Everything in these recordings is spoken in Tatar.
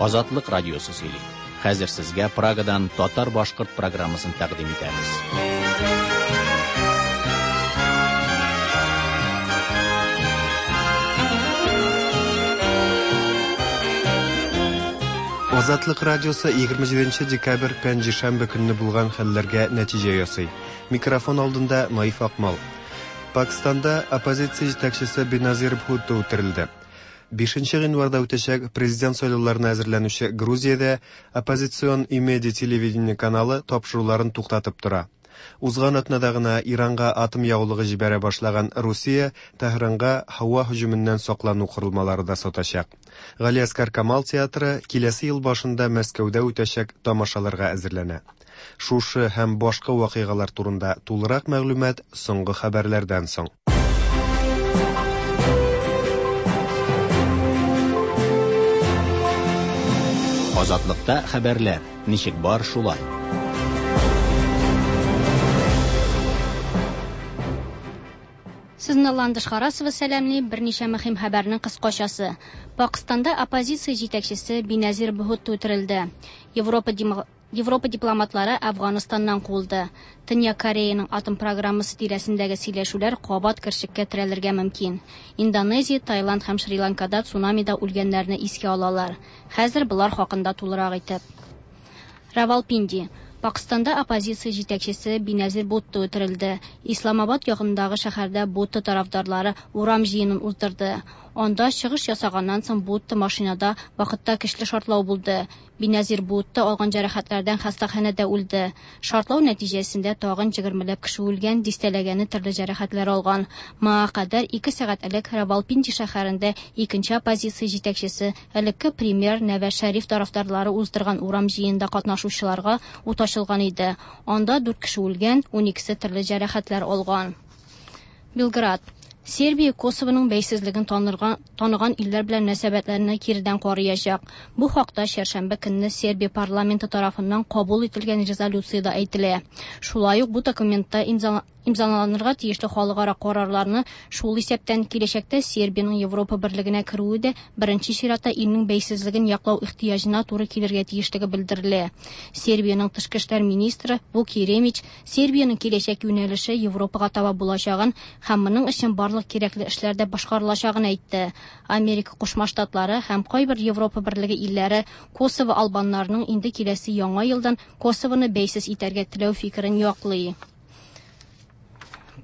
Азатлык радиосы сөйли. Хәзер сезгә Прагадан татар-башкорт программасын тәкъдим итәбез. Азатлык радиосы 27 декабрь пәнҗешәмбе көнне булган хәлләргә нәтиҗә ясый. Микрофон алдында Наиф Акмал. Пакистанда оппозиция җитәкчесе Беназир Бхутто үтерелде. 5 гыйнварда үтәчәк президент сайлауларына әзерләнүче Грузиядә оппозицион Имеди телевидение каналы тапшыруларын туктатып тора. Узган атнада гына Иранга атом ягулыгы җибәрә башлаган Русия Тәһранга һава һөҗүменнән саклану корылмалары да сатачак. Галиәсгар Камал театры киләсе ел башында Мәскәүдә үтәчәк тамашаларга әзерләнә. Шушы һәм башка вакыйгалар турында тулырак мәгълүмат соңгы хәбәрләрдән соң. Азатлыкта хәбәрләр ничек бар шулай. Сезне Ландыш Харасова сәламли, берничә мөһим хәбәрнең кыскачасы. Пакистанда оппозиция җитәкчесе Биназир Бхутто үтерелде. Европа Европа дипломатлары Әфганстаннан куылды. Төньяк Кореяның атом программасы тирәсендәге сөйләшүләр кабат кершеккә терәлергә мөмкин. Индонезия, Таиланд һәм Шри-Ланкада цунамида үлгәннәрне искә алалар. Хәзер болар хакында тулырак итеп. Равалпинди. Пакистанда оппозиция җитәкчесе Биназир Бутто үтерелде. Исламабад якындагы шәһәрдә Бутто тарафдарлары урам җыенын уздырды. Анда чыгыш ясаганнан соң Бутто машинада вакытта көчле шартлау булды. Биназир Бутто алган җәрәхәтләрдән хастаханәдә үлде. Шартлау нәтиҗәсендә тагын 20ләп кеше үлгән, дистәләгәне төрле җәрәхәтләр алган. Моңа кадәр 2 сәгать элек Равалпинди шәһәрендә икенче оппозиция җитәкчесе, элекке премьер Нәваз Шәриф тарафдарлары уздырган урам җыенында катнашучыларга ут ачылган иде. Анда 4 кеше үлгән, 12-се төрле җәрәхәтләр алган. Белград. Сербия Косовоның бәйсезлеген таныган илләр белән мөнәсәбәтләрне киредән карыячак. Бу хакта чәршәмбе көнне Сербия парламенты тарафыннан кабул ителгән резолюциядә әйтелә. Шулай ук бу документта имзаланырга тиешле халыкара карарларны, шул исәптән киләчәктә Сербиянең Европа берлегенә керүе дә беренче чиратта илнең бәйсезлеген яклау ихтыяҗына туры килергә тиешлеге белдерелә. Сербиянең тышкы эшләр министры Вук Еремич Сербиянең киләчәк юнәлеше Европага таба булачагын һәм моның өчен барлык кирәкле эшләр дә башкарылачагын әйтте. Америка Кушма Штатлары һәм кайбер Европа берлеге илләре Косово албаннарының инде киләсе яңа елдан Косовоны бәйсез итәргә теләү фикерен яклый.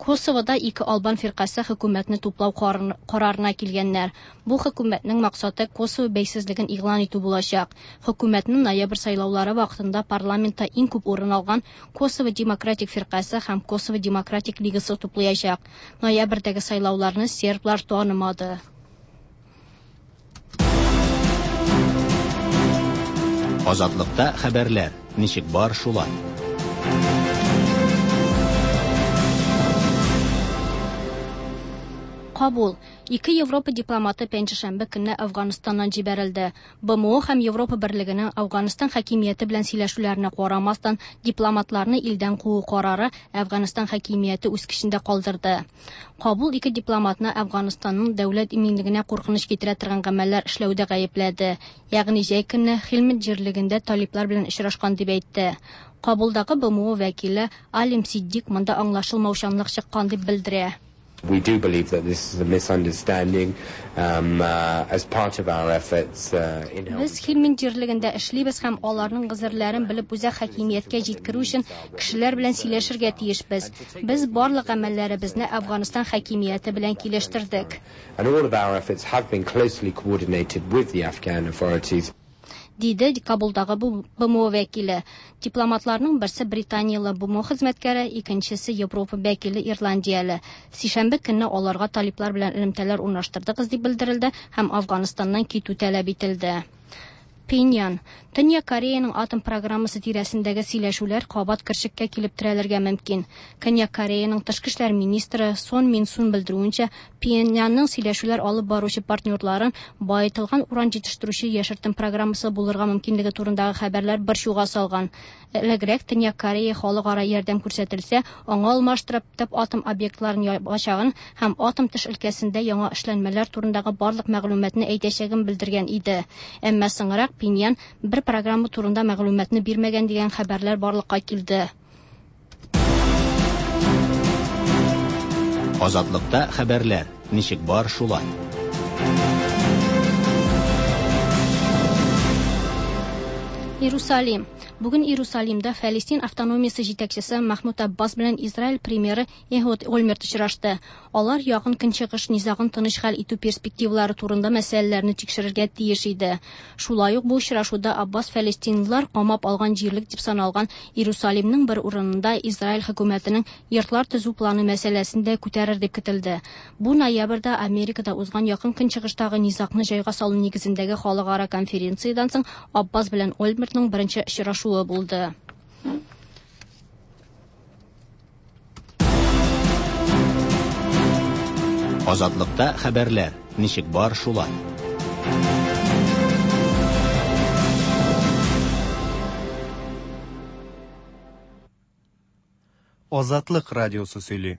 Косовода ике албан фиркасе хөкүмәтне туплау карарына килгәннәр. Бу хөкүмәтнең максаты Косово бәйсезлеген игълан итү булачак. Хөкүмәтнең ноябрь сайлаулары вакытында парламентта иң күп урын алган Косово демократик фиркасе һәм Косово демократик лигасы туплаячак. Ноябрьдәге сайлауларны серблар танымады. Азатлыкта хәбәрләр ничек бар шулай. Кабул. Ике Европа дипломаты пәнҗешәмбе көнне Әфганстаннан җибәрелде. БМО һәм Европа берлегенең Әфганстан хакимияте белән сөйләшүләренә карамастан, дипломатларны илдән куу карары Әфганстан хакимияте үз көчендә калдырды. Кабул ике дипломатны Әфганстанның дәүләт иминлегенә куркыныч китерә торган гамәлләр эшләүдә гаепләде. Ягъни җәй көнне Хилмет җирлегендә талиплар белән очрашкан дип әйтте. Кабулдагы БМО вәкиле Алим Сиддик монда аңлашылмаучанлык чыккан дип белдерә. We do believe that this is a misunderstanding as part of our efforts in helping. Без Хилмин җирлегендә эшлибез һәм аларның гозерләрен белеп үзәк хакимияткә җиткерү өчен кешеләр белән сөйләшергә тиешбез. Без барлык гамәлләребезне Әфганстан хакимияте белән килештердек. And all of our efforts have been closely coordinated with the Afghan authorities. Диде Кабулдагы БМО вәкиле. Дипломатларның берсе Британиялы БМО хезмәткәре, икенчесе Европа вәкиле Ирландияле. Сишәмбе көнне аларга талиплар белән элемтәләр урнаштырдыгыз дип белдерелде һәм Әфганстаннан китү таләп ителде. Пхеньян. Төньяк Кореяның атом программасы тирәсендәге сөйләшүләр кабат кершеккә килеп терәлергә мөмкин. Көньяк Кореяның тышкы эшләр министры Сон Мин Сун белдерүенчә, Пхеньянның сөйләшүләр алып баручы партнерларын баетылган уран җитештерүче яшертен программасы булырга мөмкинлеге турындагы хәбәрләр борчуга салган. Элегрәк Төньяк Корея халыкара ярдәм күрсәтелсә, аңа алмаштырып төп атом объектларын ябачагын һәм атом төш өлкәсендә яңа эшләнмәләр турындагы барлык мәгълүматны әйтәчәген белдергән иде. Әмма соңрак Пхеньян бер программа турында мәгълүматны бирмәгән дигән хәбәрләр барлыкка килде. Азатлыкта хәбәрләр ничек бар шулай. Иерусалим. Бүген Иерусалимда Фәлестин автономиясе җитәкчесе Махмуд Аббас белән Израиль премьеры Эхуд Ольмерт очрашты. Алар Якын Көнчыгыш низагын тыныч хәл итү перспективалары турында мәсьәләләрне тикшерергә тиеш иде. Шулай ук бу очрашуда Аббас фәлестинлылар камап алган җирлек дип саналган Иерусалимның бер урынында Израиль хөкүмәтенең йортлар төзү планы мәсьәләсен дә күтәрер дип көтелде. Бу ноябрьдә Америкада узган Якын Көнчыгыштагы низагны җайга салу нигезендәге халыкара конференциядән соң Аббас белән Ольмертның беренче очрашуы булды. Азатлыкта хәбәрләр ничек бар шулай. Азатлык радиосы сөйли.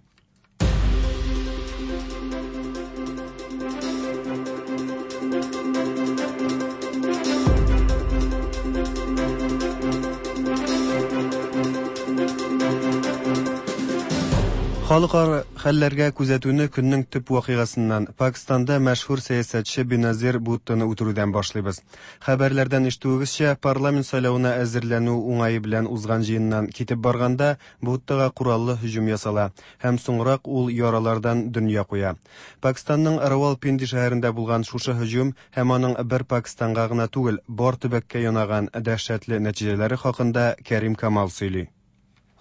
Халыкара хәлләргә күзәтүне көннең төп вакыйгасыннан Пакистанда мәшһүр сәясәтче Беназир Буттоны үтерүдән башлыйбыз. Хәбәрләрдән ишетүегезчә, парламент сайлавына әзерләнү уңае белән узган җыеннан китеп барганда Буттога кораллы һөҗүм ясала һәм соңрак ул яралардан дөнья куя. Пакистанның Равалпинди шәһәрендә булган шушы һөҗүм һәм аның бер Пакистанга гына түгел, бар төбәккә янаган дәһшәтле нәтиҗәләре хакында Кәрим Камал сөйли.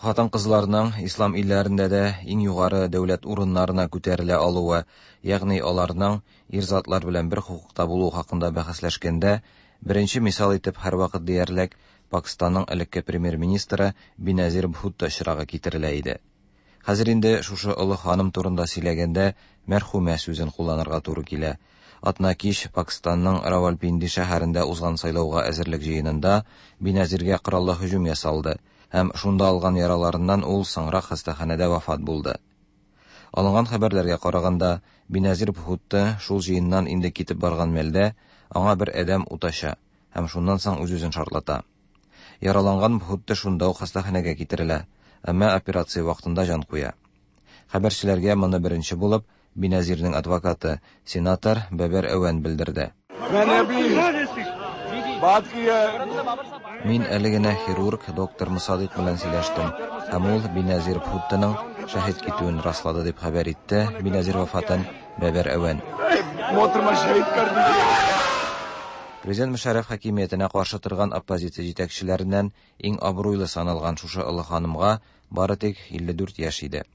Хатын-кызларның ислам илләрендә дә иң югары дәүләт урыннарына күтәрелә алуы, ягъни аларның ир затлар белән бер хокукта булуы хакында бәхәсләшкәндә, беренче мисал итеп һәрвакыт диярлек Пакистанның элекке премьер-министры Биназир Бхутто очрагы китерелә иде. Хәзер инде шушы олы ханым турында сөйләгәндә мәрхүмә сүзен кулланырга туры килә. Атна кич Пакистанның Равалпинди шәһәрендә узган сайлауга әзерлек җыенында Биназиргә кораллы һөҗүм ясалды һәм шунда алган яраларыннан ул соңрак хастаханәдә вафат булды. Алынган хәбәрләргә караганда, Биназир Бхутто шул җыеннан инде китеп барган мәлдә аңа бер адәм ут ача һәм шуннан соң үз-үзен шартлата. Яраланган Бхутто шунда ук хастаханәгә китерелә, әмма операция вакытында җан куя. Хәбәрчеләргә моны беренче булып Биназирның адвокаты, сенатор Бәбәр Әвән белдерде. Мин әле генә хирург доктор Мусадыйк белән сөйләштем, һәм ул Биназир Бхуттоның шәһит китүен раслады, дип хәбәр итте Биназир вафатын Бәбәр Әвән. Президент Мөшәррәф хакимиятенә каршы торган оппозиция җитәкчеләреннән иң абруйлы саналган шушы олы ханымга бары тик 54 яшь иде.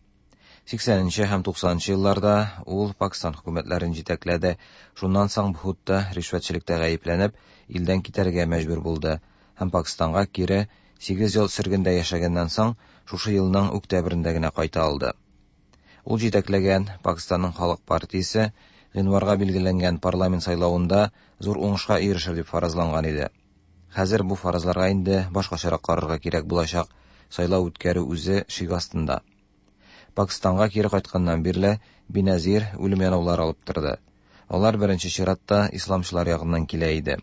80нче һәм 90нчы елларда ул Пакистан хөкүмәтләрен җитәкләде. Шуннан соң Бхутто ришвәтчелектә гаепләнеп, илдән китәргә мәҗбүр булды һәм Пакистанга кире 8 ел сөргендә яшәгәннән соң шушы елның октябрендә генә кайта алды. Ул җитәкләгән Пакистанның халык партиясе гыйнварга билгеләнгән парламент сайлавында зур уңышка ирешер дип фаразланган иде. Хәзер бу фаразларга инде башкачарак карарга кирәк булачак. Сайлау үткәрү үзе шик астында. Пакистанга кире кайтканнан бирле Биназир үлем янаулары алып торды. Алар беренче чиратта исламчылар ягыннан килә иде.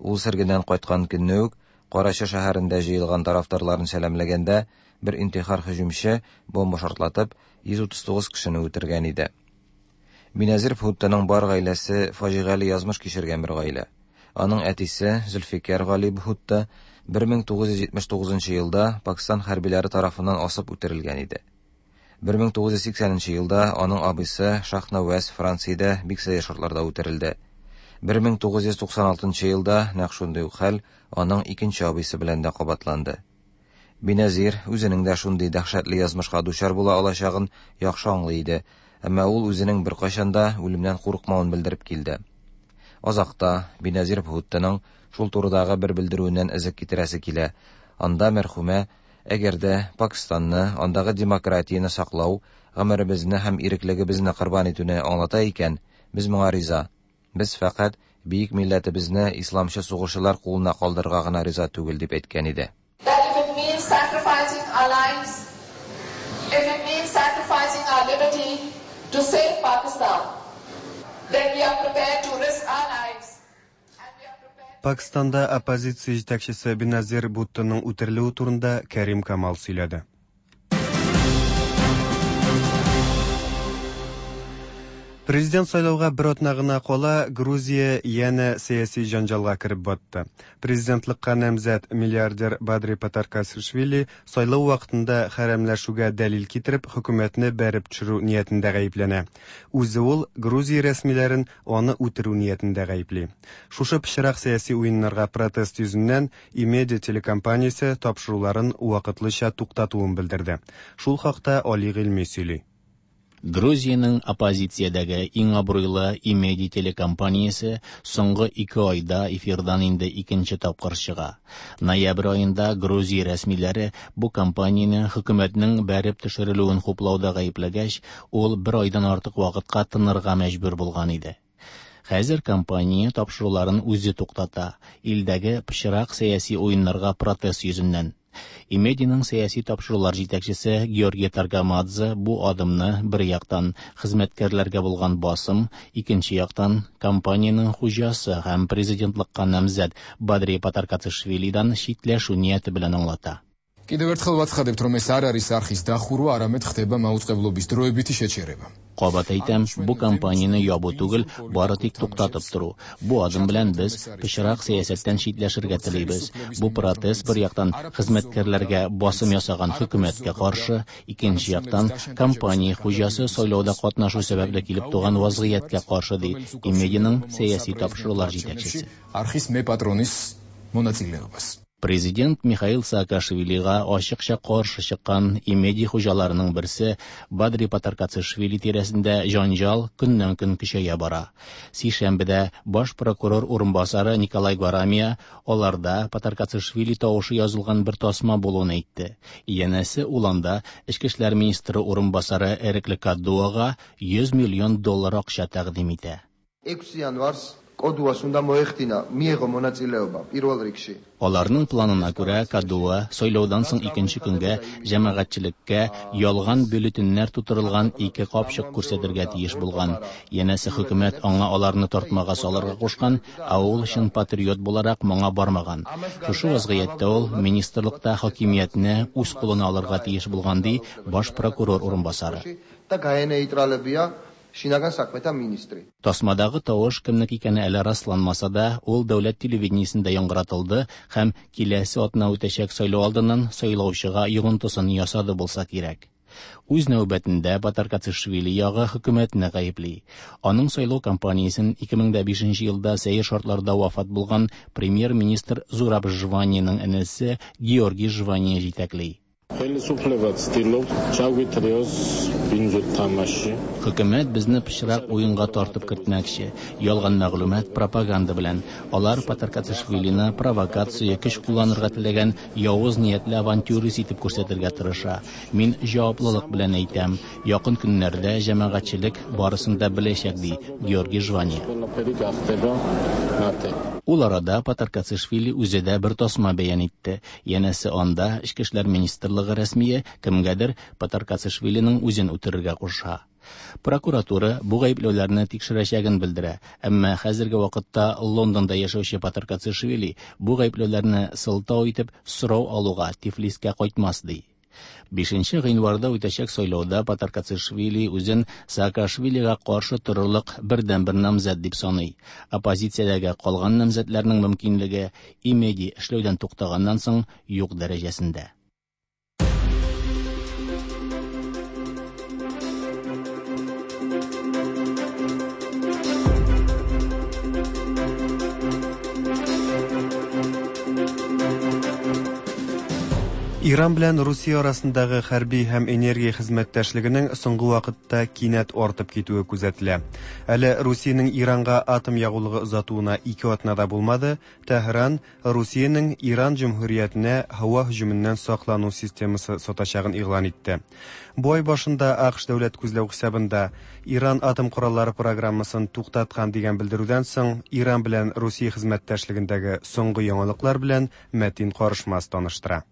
Ул сөргеннән кайткан көнне үк Карачы шәһәрендә җыелган тарафдарларын сәламләгәндә бер интихар һөҗүмче бомба шартлатып 139 кешене үтергән иде. Биназир Бхуттоның бар гаиләсе фаҗигале язмыш кичергән бер гаилә. Аның әтисе Зөлфикәр Гали Бхутто 1979 елда Пакистан хәрбиләре тарафыннан асып үтерелгән иде. 1980 елда аның абыйсы Шахнаваз Франциядә бик сәер шартларда үтерелде. 1996 елда нәкъ шундый ук хәл аның икенче абыйсы белән дә кабатланды. Биназир үзенең дә шундый дәһшәтле язмышка дучар була алачагын яхшы аңлый иде, әмма ул үзенең беркайчан да үлемнән курыкмавын белдереп килде. Азакта Биназир Бхуттоның шул турыдагы бер белдерүеннән эзек китерәсе килә. Анда мәрхүмә әгәр дә Пакистанны, андагы демократияне саклау, гомеребезне һәм иреклегебезне корбан итүне аңлата икән, без моңа риза. Без фәкать бөек милләтебезне исламчы сугышчылар кулына калдырырга гына риза түгел, дип әйткән иде. That if it means sacrificing our lives, if it means sacrificing our liberty to save Pakistan, then we are prepared to risk our lives. And we are prepared. Пакистанда оппозиция җитәкчесе Беназир Буттоның үтерелүе турында Кәрим Камал сөйләде. Президент сайлауга бер атна гына кала Грузия янә сәяси җанҗалга кереп батты. Президентлыкка намзәт миллиардер Бадри Патаркашвили сайлау вакытында хәрәмләшүгә дәлил китереп хөкүмәтне бәреп төшерү ниятендә гаепләнә. Үзе ул Грузия рәсмиләрен аны үтерү ниятендә гаепли. Шушы пычрак сәяси уеннарга протест йөзеннән Имеди телекомпаниясе тапшыруларын вакытлыча туктатуын белдерде. Шул хакта Али Гыйльми сөйли. Грузиянең оппозициядәге иң абруйлы Имеди телекомпаниясе соңгы 2 айда эфирдан инде икенче тапкыр чыга. Ноябрь аенда Грузия рәсмиләре бу компанияне хөкүмәтнең бәреп төшерелүен хуплауда гаепләгәч, ул бер айдан артык вакытка тынырга мәҗбүр булган иде. Хәзер компания тапшыруларын үзе туктата, илдәге пычрак сәяси уеннарга протест йөзеннән. Имединың сәяси тапшырулар җитәкчесе Георгий Таргамадзе бу адымны бер яктан хезмәткәрләргә булган басым, икенче яктан компаниянең хуҗасы һәм президентлыкка намзәт Бадри Патаркацишвилидан читләшү нияте белән аңлата. Კიდევ ერთხელ ვაცხადებთ, რომ ეს არ არის არხის დახურვა, არამედ ხდება მაუწყებლობის დროებითი შეჩერება. Кабат әйтәм, бу компанияне ябу түгел, бары тик туктатып тору. Бу адым белән без пычрак сәясәттән читләшергә телибез. Бу протест бер яктан хезмәткәрләргә басым ясаган хөкүмәткә каршы, икенче яктан компания хуҗасы сайлауда катнашу сәбәпле килеп туган вазгыятькә каршы, ди Имединың сәяси тапшырулар җитәкчесе. არხის მეპატრონის მონაწილეობას. Президент Михаил Саакашвилига ачыкча каршы чыккан Имеди хуҗаларының берсе Бадри Патаркацишвили тирәсендә җанҗал көннән-көн көчәя бара. Сишәмбедә баш прокурор урынбасары Николай Гварамия аларда Патаркацишвили тавышы язылган бер тасма булуын әйтте. Янәсе ул анда Эчке эшләр министры урынбасары Эрекле Кадуага 100 миллион доллар акча тәкъдим итә. 6 იანვარს კოდუას უნდა მოეხდინა, მიეღო მონაწილეობა პირველ რიგში. Аларның планына күрә, Кадуа сайлаудан соң икенче көнгә җәмәгатьчелеккә ялган бюллетеньнәр тутырылган ике капчык күрсәтергә тиеш булган. Янәсе хөкүмәт аңа аларны тартмага салырга кушкан, ә ул чын патриот буларак моңа бармаган. Шушы вазгыятьтә ул министрлыкта хакимиятне үз кулына алырга тиеш булган, ди баш прокурор урынбасары. და გაენეიტრალებია შინაგან საქმეთა მინისტრი. Тасмадагы тавыш кемнеке икәне әле расланмаса да, ул дәүләт телевидениесендә яңгыратылды һәм киләсе атна үтәчәк сайлау алдыннан сайлаучыга йогынтысын ясады булса кирәк. Үз нәүбәтендә Патаркацишвили ягы хөкүмәтне гаепли. Аның сайлау кампаниясен 2005 елда сәер шартларда вафат булган премьер-министр Зураб Жваниянең энесе Георгий Жвания җитәкли. ხელისუფლება ცდილობს ჩაგვითრიოს ბინძურ თამაშში. Хөкүмәт безне пычрак уенга тартып кертмәкче. Ялган мәгълүмат, пропаганда белән. Алар Патаркацишвилины провокация, көч кулланырга теләгән явыз ниятле авантюрист итеп күрсәтергә тырыша. Мин җаваплылык белән әйтәм, якын көннәрдә җәмәгатьчелек барысын да беләчәк, ди Георгий Жвания. ყველაფერი გახდება ნათელი. Ул арада Патаркацишвили үзе дә бер тасма бәян итте. Янәсе анда Эчке эшләр министрлыгы рәсмие кемгәдер Патаркацишвилиның үзен үтерергә куша. Прокуратура бу гаепләүләрне тикшерәчәген белдерә, әмма хәзерге вакытта Лондонда яшәүче Патаркацишвили бу гаепләүләрне сылтау итеп сорау алуга Тифлискә кайтмас, ди. 5 гыйнварда үтәчәк сайлауда Патаркацишвили үзен Саакашвилига каршы торырлык бердәнбер намзәт дип саный. Оппозициядәге калган намзәтләрнең мөмкинлеге Имеди эшләүдән туктаганнан соң юк дәрәҗәсендә. Иран белән Русия арасындагы хәрби һәм энергия хезмәттәшлегенең соңгы вакытта кинәт артып китүе күзәтелә. Әле Русиянең Иранга атом ягулыгы озатуына 2 атна да булмады, Тәһран Русиянең Иран җөмһүриятенә һава һөҗүменнән саклану системасы сатачагын игълан итте. Бу ай башында АКШ дәүләт күзләү хисабында Иран атом кораллары программасын туктаткан дигән белдерүдән соң Иран белән Русия хезмәттәшлегендәге соңгы яңалыклар белән Мәтин Карышмас таныштыра.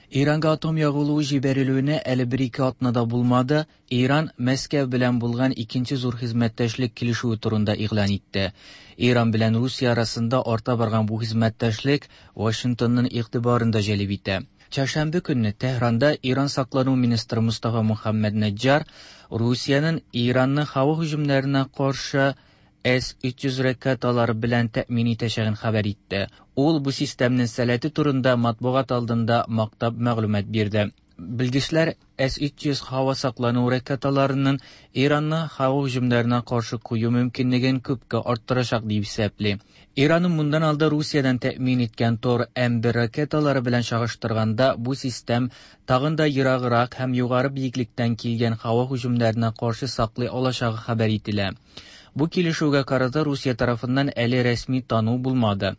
Иранга атом ягулыгы җибәрелүенә әле бер-ике атна да булмады, Иран Мәскәү белән булган икенче зур хезмәттәшлек килешүе турында игълан итте. Иран белән Русия арасында арта барган бу хезмәттәшлек Вашингтонның игътибарын да җәлеп итә. Чәршәмбе көнне Тәһранда Иран саклану министры Мустафа Мухаммад Наджар Русиянең Иранны һава һөҗүмнәренә каршы С-300 ракеталары белән тәэмин итәчәген хәбәр итте. Ул бу системның сәләте турында матбугат алдында мактап мәгълүмат бирде. Белгечләр С-300 һава саклану ракеталарының Иранны һава һөҗүмнәренә каршы кую мөмкинлеген күпкә арттырачак дип исәпли. Иранның моннан алда Русиядән тәэмин иткән Тор М1 ракеталары белән чагыштырганда бу систем тагын да ераграк һәм югары биеклектән килгән һава һөҗүмнәренә каршы саклый алачагы хәбәр ителә. Бу килешүгә карата Русия тарафыннан әле рәсми тану булмады.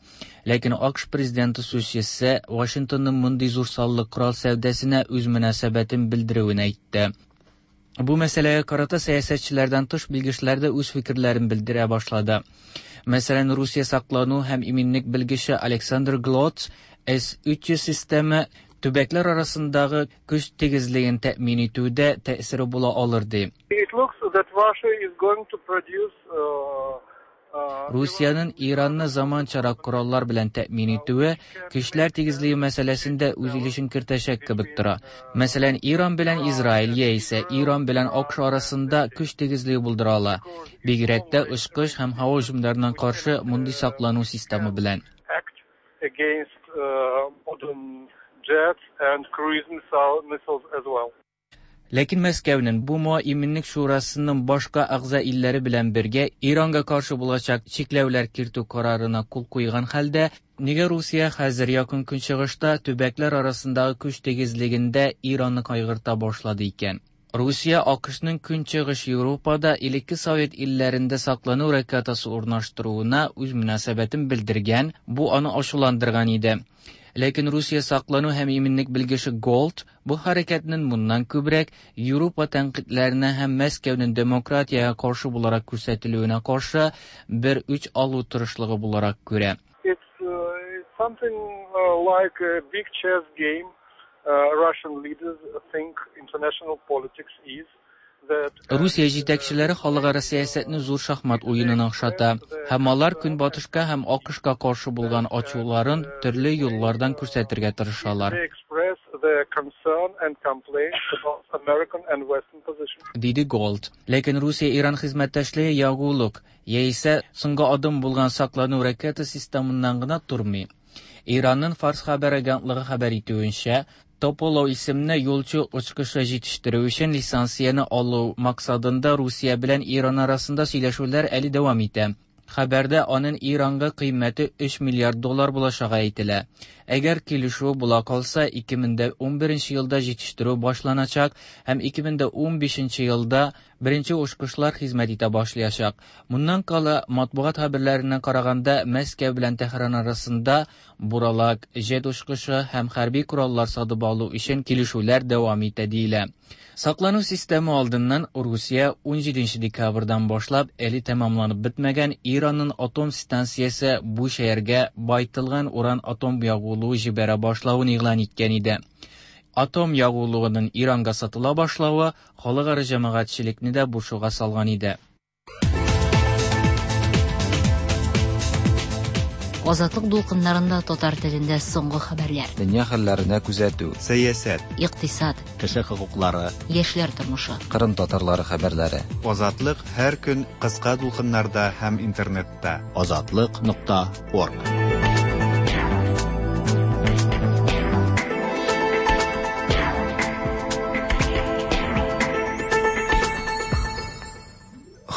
Ләкин АКШ президенты сүзчесе Вашингтонның мондый зур саллы корал сәүдәсенә үз мөнәсәбәтен белдерүен әйтте. Бу мәсьәләгә карата сәясәтчеләрдән тыш белгечләр дә үз фикерләрен белдерә башлады. Мәсәлән, Русия саклану һәм иминлек белгече Александр Глотс С-300 системы төбәкләр арасындагы көч тигезлеген тәэмин итүдә тәэсире була алыр ди. It looks that Russia is going to produce Русиянең Иранны заманчарак кораллар белән тәэмин итүе көчләр тигезлеге мәсьәләсендә үз өлешен кертәчәк кебек тора. Мәсәлән, Иран белән Израиль яисә Иран белән АКШ арасында көч тигезлеге булдыра ала. Бигрәк тә очкыч һәм һава һөҗүмнәренә каршы мондый саклану системы белән. against modern jets and cruise missiles as well. Ләкин Мәскәүнең БУМО Иминлек шурасының башка әгъза илләре белән бергә Иранга каршы булачак чикләүләр кертү карарына кул куйган хәлдә, нигә Русия хәзер Якын Көнчыгышта төбәкләр арасындагы көч тигезлегендә Иранны кайгырта башлады икән? Русия АКШның Көнчыгыш Европада элекке Совет илләрендә саклану ракетасы урнаштыруына үз мөнәсәбәтен белдергән, бу аны ачуландырган иде. Ләкин Русия саклану һәм иминлек белгече Голд бу хәрәкәтнең моннан күбрәк Европа тәнкыйтьләренә һәм Мәскәүнең демократиягә каршы буларак күрсәтелүенә каршы бер үч алу тырышлыгы буларак күрә. It's something like a big chess game. Russian leaders think international politics is. Русия җитәкчеләре халыкара сәясәтне зур шахмат уенына охшата һәм алар Көнбатышка һәм АКШка каршы булган ачуларын төрле юллардан күрсәтергә тырышалар. Диде Голд. Ләкин Русия-Иран хезмәттәшлеге ягулык яисә соңгы адым булган саклану ракета системыннан гына тормый. Иранның Фарс хәбәр агентлыгы хәбәр итүенчә, Тополо исемле юлчы очкычы җитештерү өчен лицензияне алу максатында Русия белән Иран арасында сөйләшүләр әле дәвам итә. Хәбәрдә аның Иранга кыйммәте 3 миллиард доллар булачагы әйтелә. Әгәр килешү була калса, 2011 елда җитештерү башланачак һәм 2015 елда беренче очкычлар хезмәт итә башлаячак. Моннан кала, матбугат хәбәрләренә караганда, Мәскәү белән Тәһран арасында буралак, җет очкычы һәм хәрби кораллар сатып алу өчен килешүләр дәвам итә диелә. Саклану системы алдыннан Русия 17 декабрьдан башлап әле тәмамланып бетмәгән Иранның атом станциясе бу шәһәргә байтылган уран атом ягулыгы җибәрә башлавын игълан иткән иде. Атом ягулыгының Иранга сатыла башлавы халыкара җәмәгатьчелекне дә борчуга салган иде. Азатлык дулкыннарында татар телендә соңгы хәбәрләр. Дөнья хәлләренә күзәтү. Сәясәт. Икътисад. Кеше хокуклары. Яшьләр тормышы. Кырым татарлары хәбәрләре. Азатлык һәр көн кыска дулкыннарда һәм интернетта. Азатлык.орг.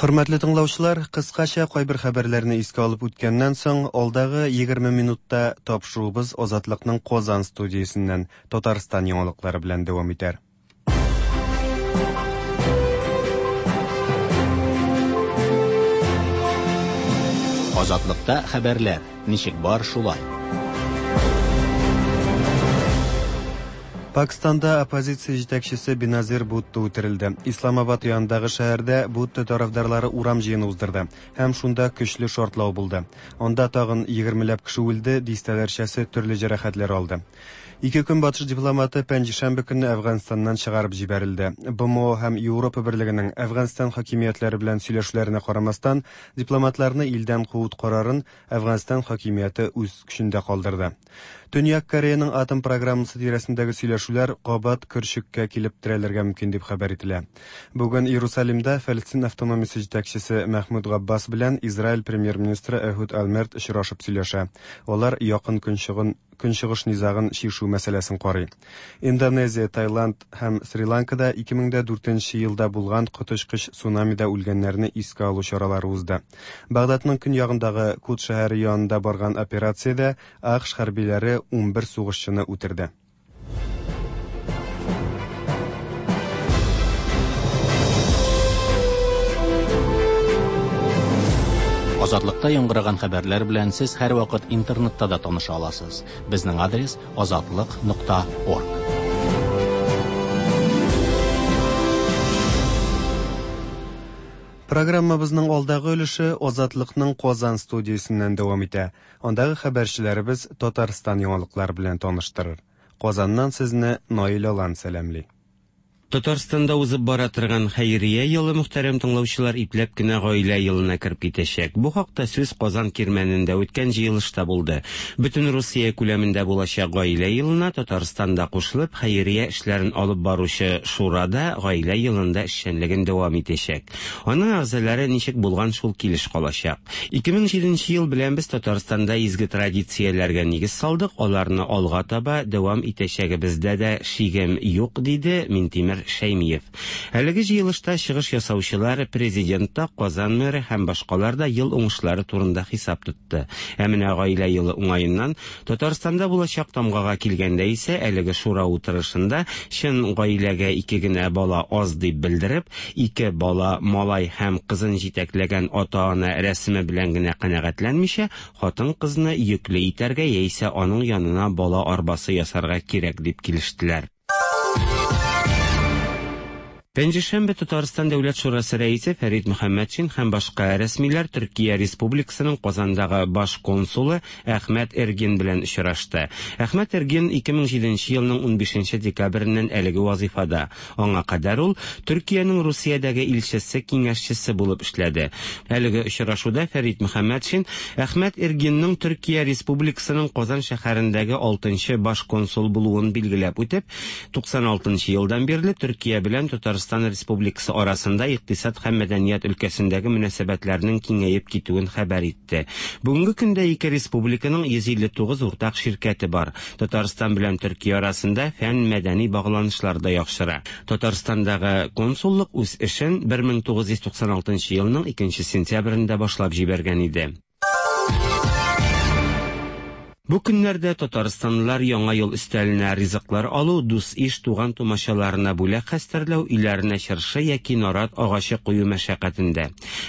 Хөрмәтле тыңлаучылар, кыскача кайбер хәбәрләрне искә алып үткәннән соң, алдагы 20 минутта тапшыруыбыз Азатлыкның Казан студиясеннән Татарстан яңалыклары белән дәвам итәр. Азатлыкта хәбәрләр ничек бар шулай. Пакстанда оппозиция җитәкчесе Беназир Бутто үтерелде. Исламабад янындагы шәһәрдә Бутто тарафдарлары урам җыены уздырды һәм шунда көчле шартлау булды. Анда тагын егермеләп кеше үлде, дистәләрчәсе төрле җәрәхәтләр алды. Ике көнбатыш дипломаты пәнҗешәмбе көнне Әфганстаннан чыгарып җибәрелде. БМО һәм Европа Берлегенең Әфганстан хакимиятләре белән сөйләшүләренә карамастан, дипломатларны илдән куу карарын Әфганстан хакимияте үз көчендә калдырды. Төньяк Кореяның атом программасы тирәсендәге сөйләшүләр кабат көрчеккә килеп терәлергә мөмкин дип хәбәр ителә. Бүген Иерусалимда Фәлестин автономиясе җитәкчесе Мәхмүд Габбас белән Израиль премьер-министры Эхуд Ольмерт очрашып сөйләшә. Алар Якын Көнчыгын Көнчыгыш низагын чишү мәсьәләсен карый. Индонезия, Таиланд һәм Сри-Ланкада 2004 елда булган коточкыч цунамида үлгәннәрне искә алу чаралары узды. Багдадның көньягындагы Кут шәһәре янында барган операциядә АКШ хәрбиләре 11 сугышчыны үтерде. Азатлыкта яңгыраган хәбәрләр белән сез һәрвакыт интернетта да таныша аласыз. Безнең адрес азатлык.орг. Программабызның алдагы өлеше Азатлыкның Казан студиясеннән дәвам итә. Андагы хәбәрчеләребез Татарстан яңалыклары белән таныштырыр. Казаннан сезне Наил Алан сәламли. Татарстанда узып бара торган хәйрия елы, мөхтәрәм тыңлаучылар, ипләп кенә гаилә елына кереп китәчәк. Бу хакта сүз Казан Кирмәнендә үткән җыелышта булды. Бөтен Русия күләмендә булачак гаилә елына Татарстан да кушылып, хәйрия эшләрен алып баручы Шура да гаилә елында эшчәнлеген дәвам итәчәк. Аның әгъзалары ничек булган шул килеш калачак. 2007 нче ел белән без Татарстанда изге традицияләргә нигез салдык, аларны алга таба дәвам итәчәгебездә дә шигем юк, диде Минтимер Шәймиев. Әлеге җыелышта чыгыш ясаучылар, Президент та, Казан мэры һәм башкалар да ел уңышлары турында хисап тотты. Ә менә Гаилә елы уңаеннан Татарстанда булачак тамгага килгәндә исә, әлеге шура утырышында чын гаиләгә ике генә бала аз дип белдереп, ике бала, малай һәм кызын җитәкләгән ата-ана рәсеме белән генә канәгатьләнмичә, хатын-кызны йөкле итәргә яисә аның янына бала арбасы ясарга кирәк дип килештеләр. Пәнҗешәмбе Татарстан Дәүләт шурасы рәисе Фәрит Мөхәммәтшин һәм башка рәсмиләр Төркия Республикасының Казандагы баш консулы Әхмәт Эргин белән очрашты. Әхмәт Эргин 2007 елның унбишенче декабреннән әлеге вазыйфада. Аңа кадәр ул Төркиянең Русиядәге илчесе киңәшчесе булып эшләде. Әлеге очрашуда Фәрит Мөхәммәтшин Әхмәт Эргинның Төркия Республикасының Казан шәһәрендәге алтынчы баш консул булуын билгеләп үтеп, 96 нчы елдан бирле Төркия белән Татарстан Республикасы арасында икътисад һәм мәдәният өлкәсендәге мөнәсәбәтләрнең киңәеп китүен хәбәр итте. Бүгенге көндә ике республиканың 159 уртак ширкәте бар. Татарстан белән Төркия арасында фән-мәдәни багланышлар да яхшыра. Татарстандагы консуллык үз эшен 1996 елның 2 сентябрендә башлап җибәргән иде. Бу көннәрдә татарстанлылар Яңа ел өстәленә ризыклар алу, дус-иш, туган-тумачаларына бүләк хәстәрләү, өйләренә чыршы яки нарат агачы кую мәшәкатендә.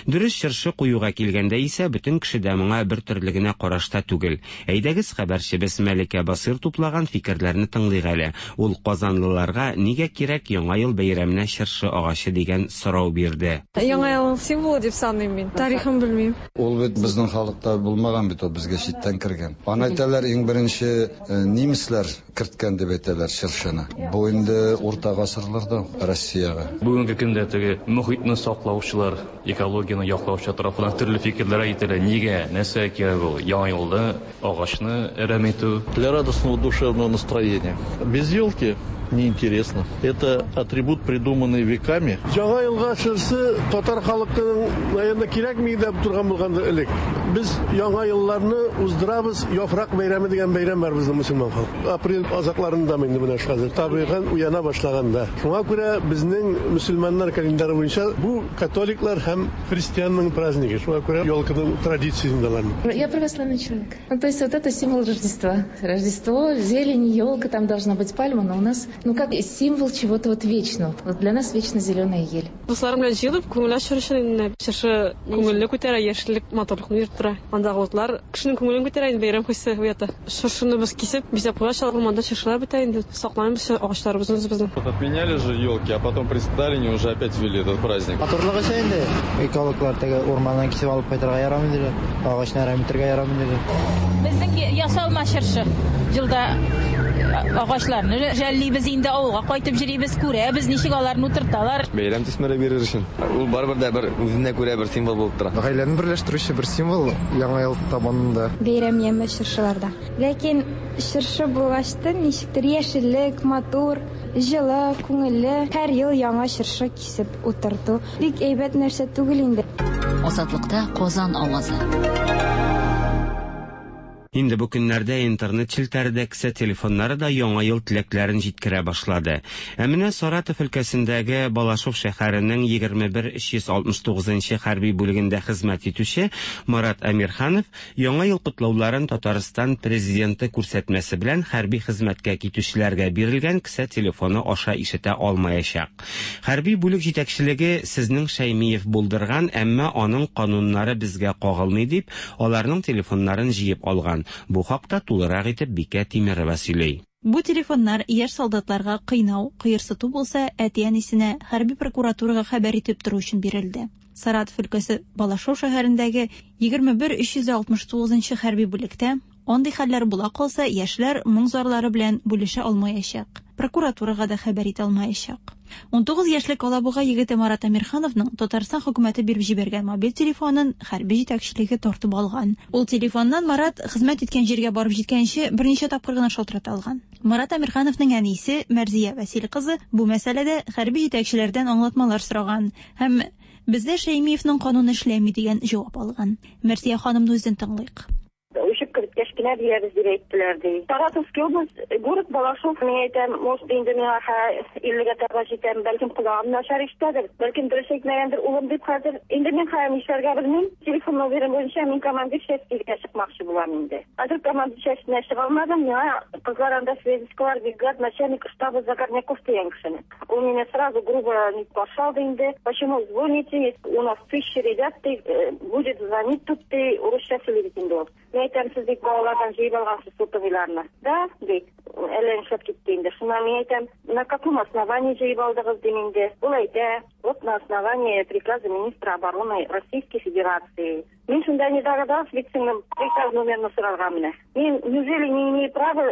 Дөрес, чыршы куюга килгәндә исә, бөтен кеше дә моңа бер төрле генә карашта түгел. Әйдәгез, хәбәрчебез Мәликә Басыйр туплаган фикерләрне тыңлыйк әле. Ул казанлыларга нигә кирәк Яңа ел бәйрәменә чыршы агачы дигән сорау бирде. Яңа елның символы дип саныйм мин. Тарихын белмим. Ул бит безнең халыкта булмаган бит ул, безгә читтән кергән. Аны әйтәләр, иң беренче немецлар керткән дип әйтәләр чыршыны. Бу инде урта гасырларда Россиягә. Бүгенге көндә теге мохитне саклаучылар, экологияне яклаучылар тарафыннан төрле фикерләр әйтелә. Нигә, нәрсәгә кирәк ул Яңа елда агачны әрәм итү? Для радостного душевного настроения. Без елки Неинтересно. Это атрибут, придуманный веками. Яңа елга чыршы татар халкының, наверное, кирәкми дип торган булгандыр элек. Без яңа елларны уздырабыз, яфрак бәйрәме дигән бәйрәм бар безнең мөселман халкы. Апрель азакларында инде менә хәзер табигать уяна башлаганда. Шуңа күрә безнең мөселманнар календары буенча бу католиклар һәм христианның празднигы. Шуңа күрә елканың традициясендә алар. Я православный человек. Ну, то есть вот это символ Рождества. Рождество, зелень, елка, там должна быть пальма, но у нас, ну как символ чего-то вот вечного. Вот для нас вечно зеленая ель. Дусларым белән җыелып, күңел ачыр өчен инде чыршы күңелне күтәрә, яшеллек матурлыкны биреп тора. Андагы утлар кешенең күңелен күтәрә инде, бәйрәм хисе уята. Чыршыны без кисеп, бизәп куя, урманда чыршылар бетә инде. Сакланабыз агачларыбызны үзебезнең. Вот отменяли же елки, а потом при Сталине уже опять ввели этот праздник. Матурлыгы өчен инде. Экологлар теге урманнан кисеп алып кайтырга ярамый диләр. Агачны әрәм итәргә ярамый диләр. Безнең ясалма чыршы. Елда агачларны жәллибез инде, авылга кайтып йөрибез, күрәбез, ничек аларны утырталар. Бәйрәм төсмере бирер өчен. Ул барыбер дә бер үзенә күрә бер символ булып тора. Гаиләне берләштерүче бер символ Яңа ел табынында. Бәйрәм яме чыршыларда. Ләкин чыршы булгачтын ничектер яшеллек, матур, җылы, күңелле. Һәр ел яңа чыршы кисеп утырту бик әйбәт нәрсә түгел инде. Азатлыкта Казан авазы. Инде бу көннәрдә интернет челтәре дә, кесә телефоннары да яңа ел теләкләрен җиткерә башлады. Ә менә Саратов өлкәсендәге Балашов шәһәренең 21369 нчы хәрби бүлегендә хезмәт итүче Марат Әмирханов яңа ел котлауларын Татарстан президенты күрсәтмәсе белән хәрби хезмәткә китүчеләргә бирелгән кесә телефоны аша ишетә алмаячак. Хәрби бүлек җитәкчелеге сезнең Шәймиев булдырган, әмма аның кануннары безгә кагылмый дип, аларның телефоннарын җыеп алган. Бу хакта тулырак итеп Бикә Тимерова сөйли. Бу телефоннар яшь солдатларга кыйнау, кыерсыту булса, әти-әнисенә, хәрби прокуратурага хәбәр итеп тору өчен бирелде. Саратов өлкәсе Балашов шәһәрендәге 21 369 нчы хәрби бүлектә андый хәлләр була калса, яшьләр моң-зарлары белән бүлешә алмаячак, прокуратурага да хәбәр итә алмаячак. 19 яшьлек Алабуга егете Марат Әмирхановның Татарстан хөкүмәте биреп җибәргән мобиль телефонын хәрби җитәкчелеге тартып алган. Ул телефоннан Марат хезмәт иткән җиргә барып җиткәнче берничә тапкыр гына шалтырата алган. Марат Әмирхановның әнисе Мәрзия Вәсил кызы бу мәсьәләдә хәрби җитәкчеләрдән аңлатмалар сораган һәм бездә Шәймиевның кануны эшләми дигән җавап алган. Мәрзия ханымны үзен тыңлыйк. Учебка беткәч кенә бирәбез дип әйттеләр, ди. Саратовский область, город Балашов, мин әйтәм, может, инде миңа 50-гә таба җитәм, бәлкем колагым начар ишетәдер, бәлкем дөрес әйтмәгәндер улым дип хәзер. Инде мин хәзер нишләргә белмим. Телефон номеры буенча мин командир частька чыкмакчы булам инде. Хәзер командир частенә чыга алмадым, миңа кызлар анда связисткалар бирделәр, начальник штаба Загорняков дигән кешене. Ул мине сразу грубо не каршы алды инде. Почему звоните? У нас тысячи ребят, ты, будет звонить тут, ты, урысча сөйли бит инде ул. Мин әйтәм, сез бит балалардан җыеп алгансыз сотовыйларны. Да, ди. Әллә нишләп китте инде. Шуннан мин әйтәм, на каком основании җыеп алдыгыз дим инде. Ул әйтә, вот на основании приказа министра обороны Российской Федерации. Мин шунда не догадалась бит сеңлем приказ номерны сорарга менә. Мин неужели не имею права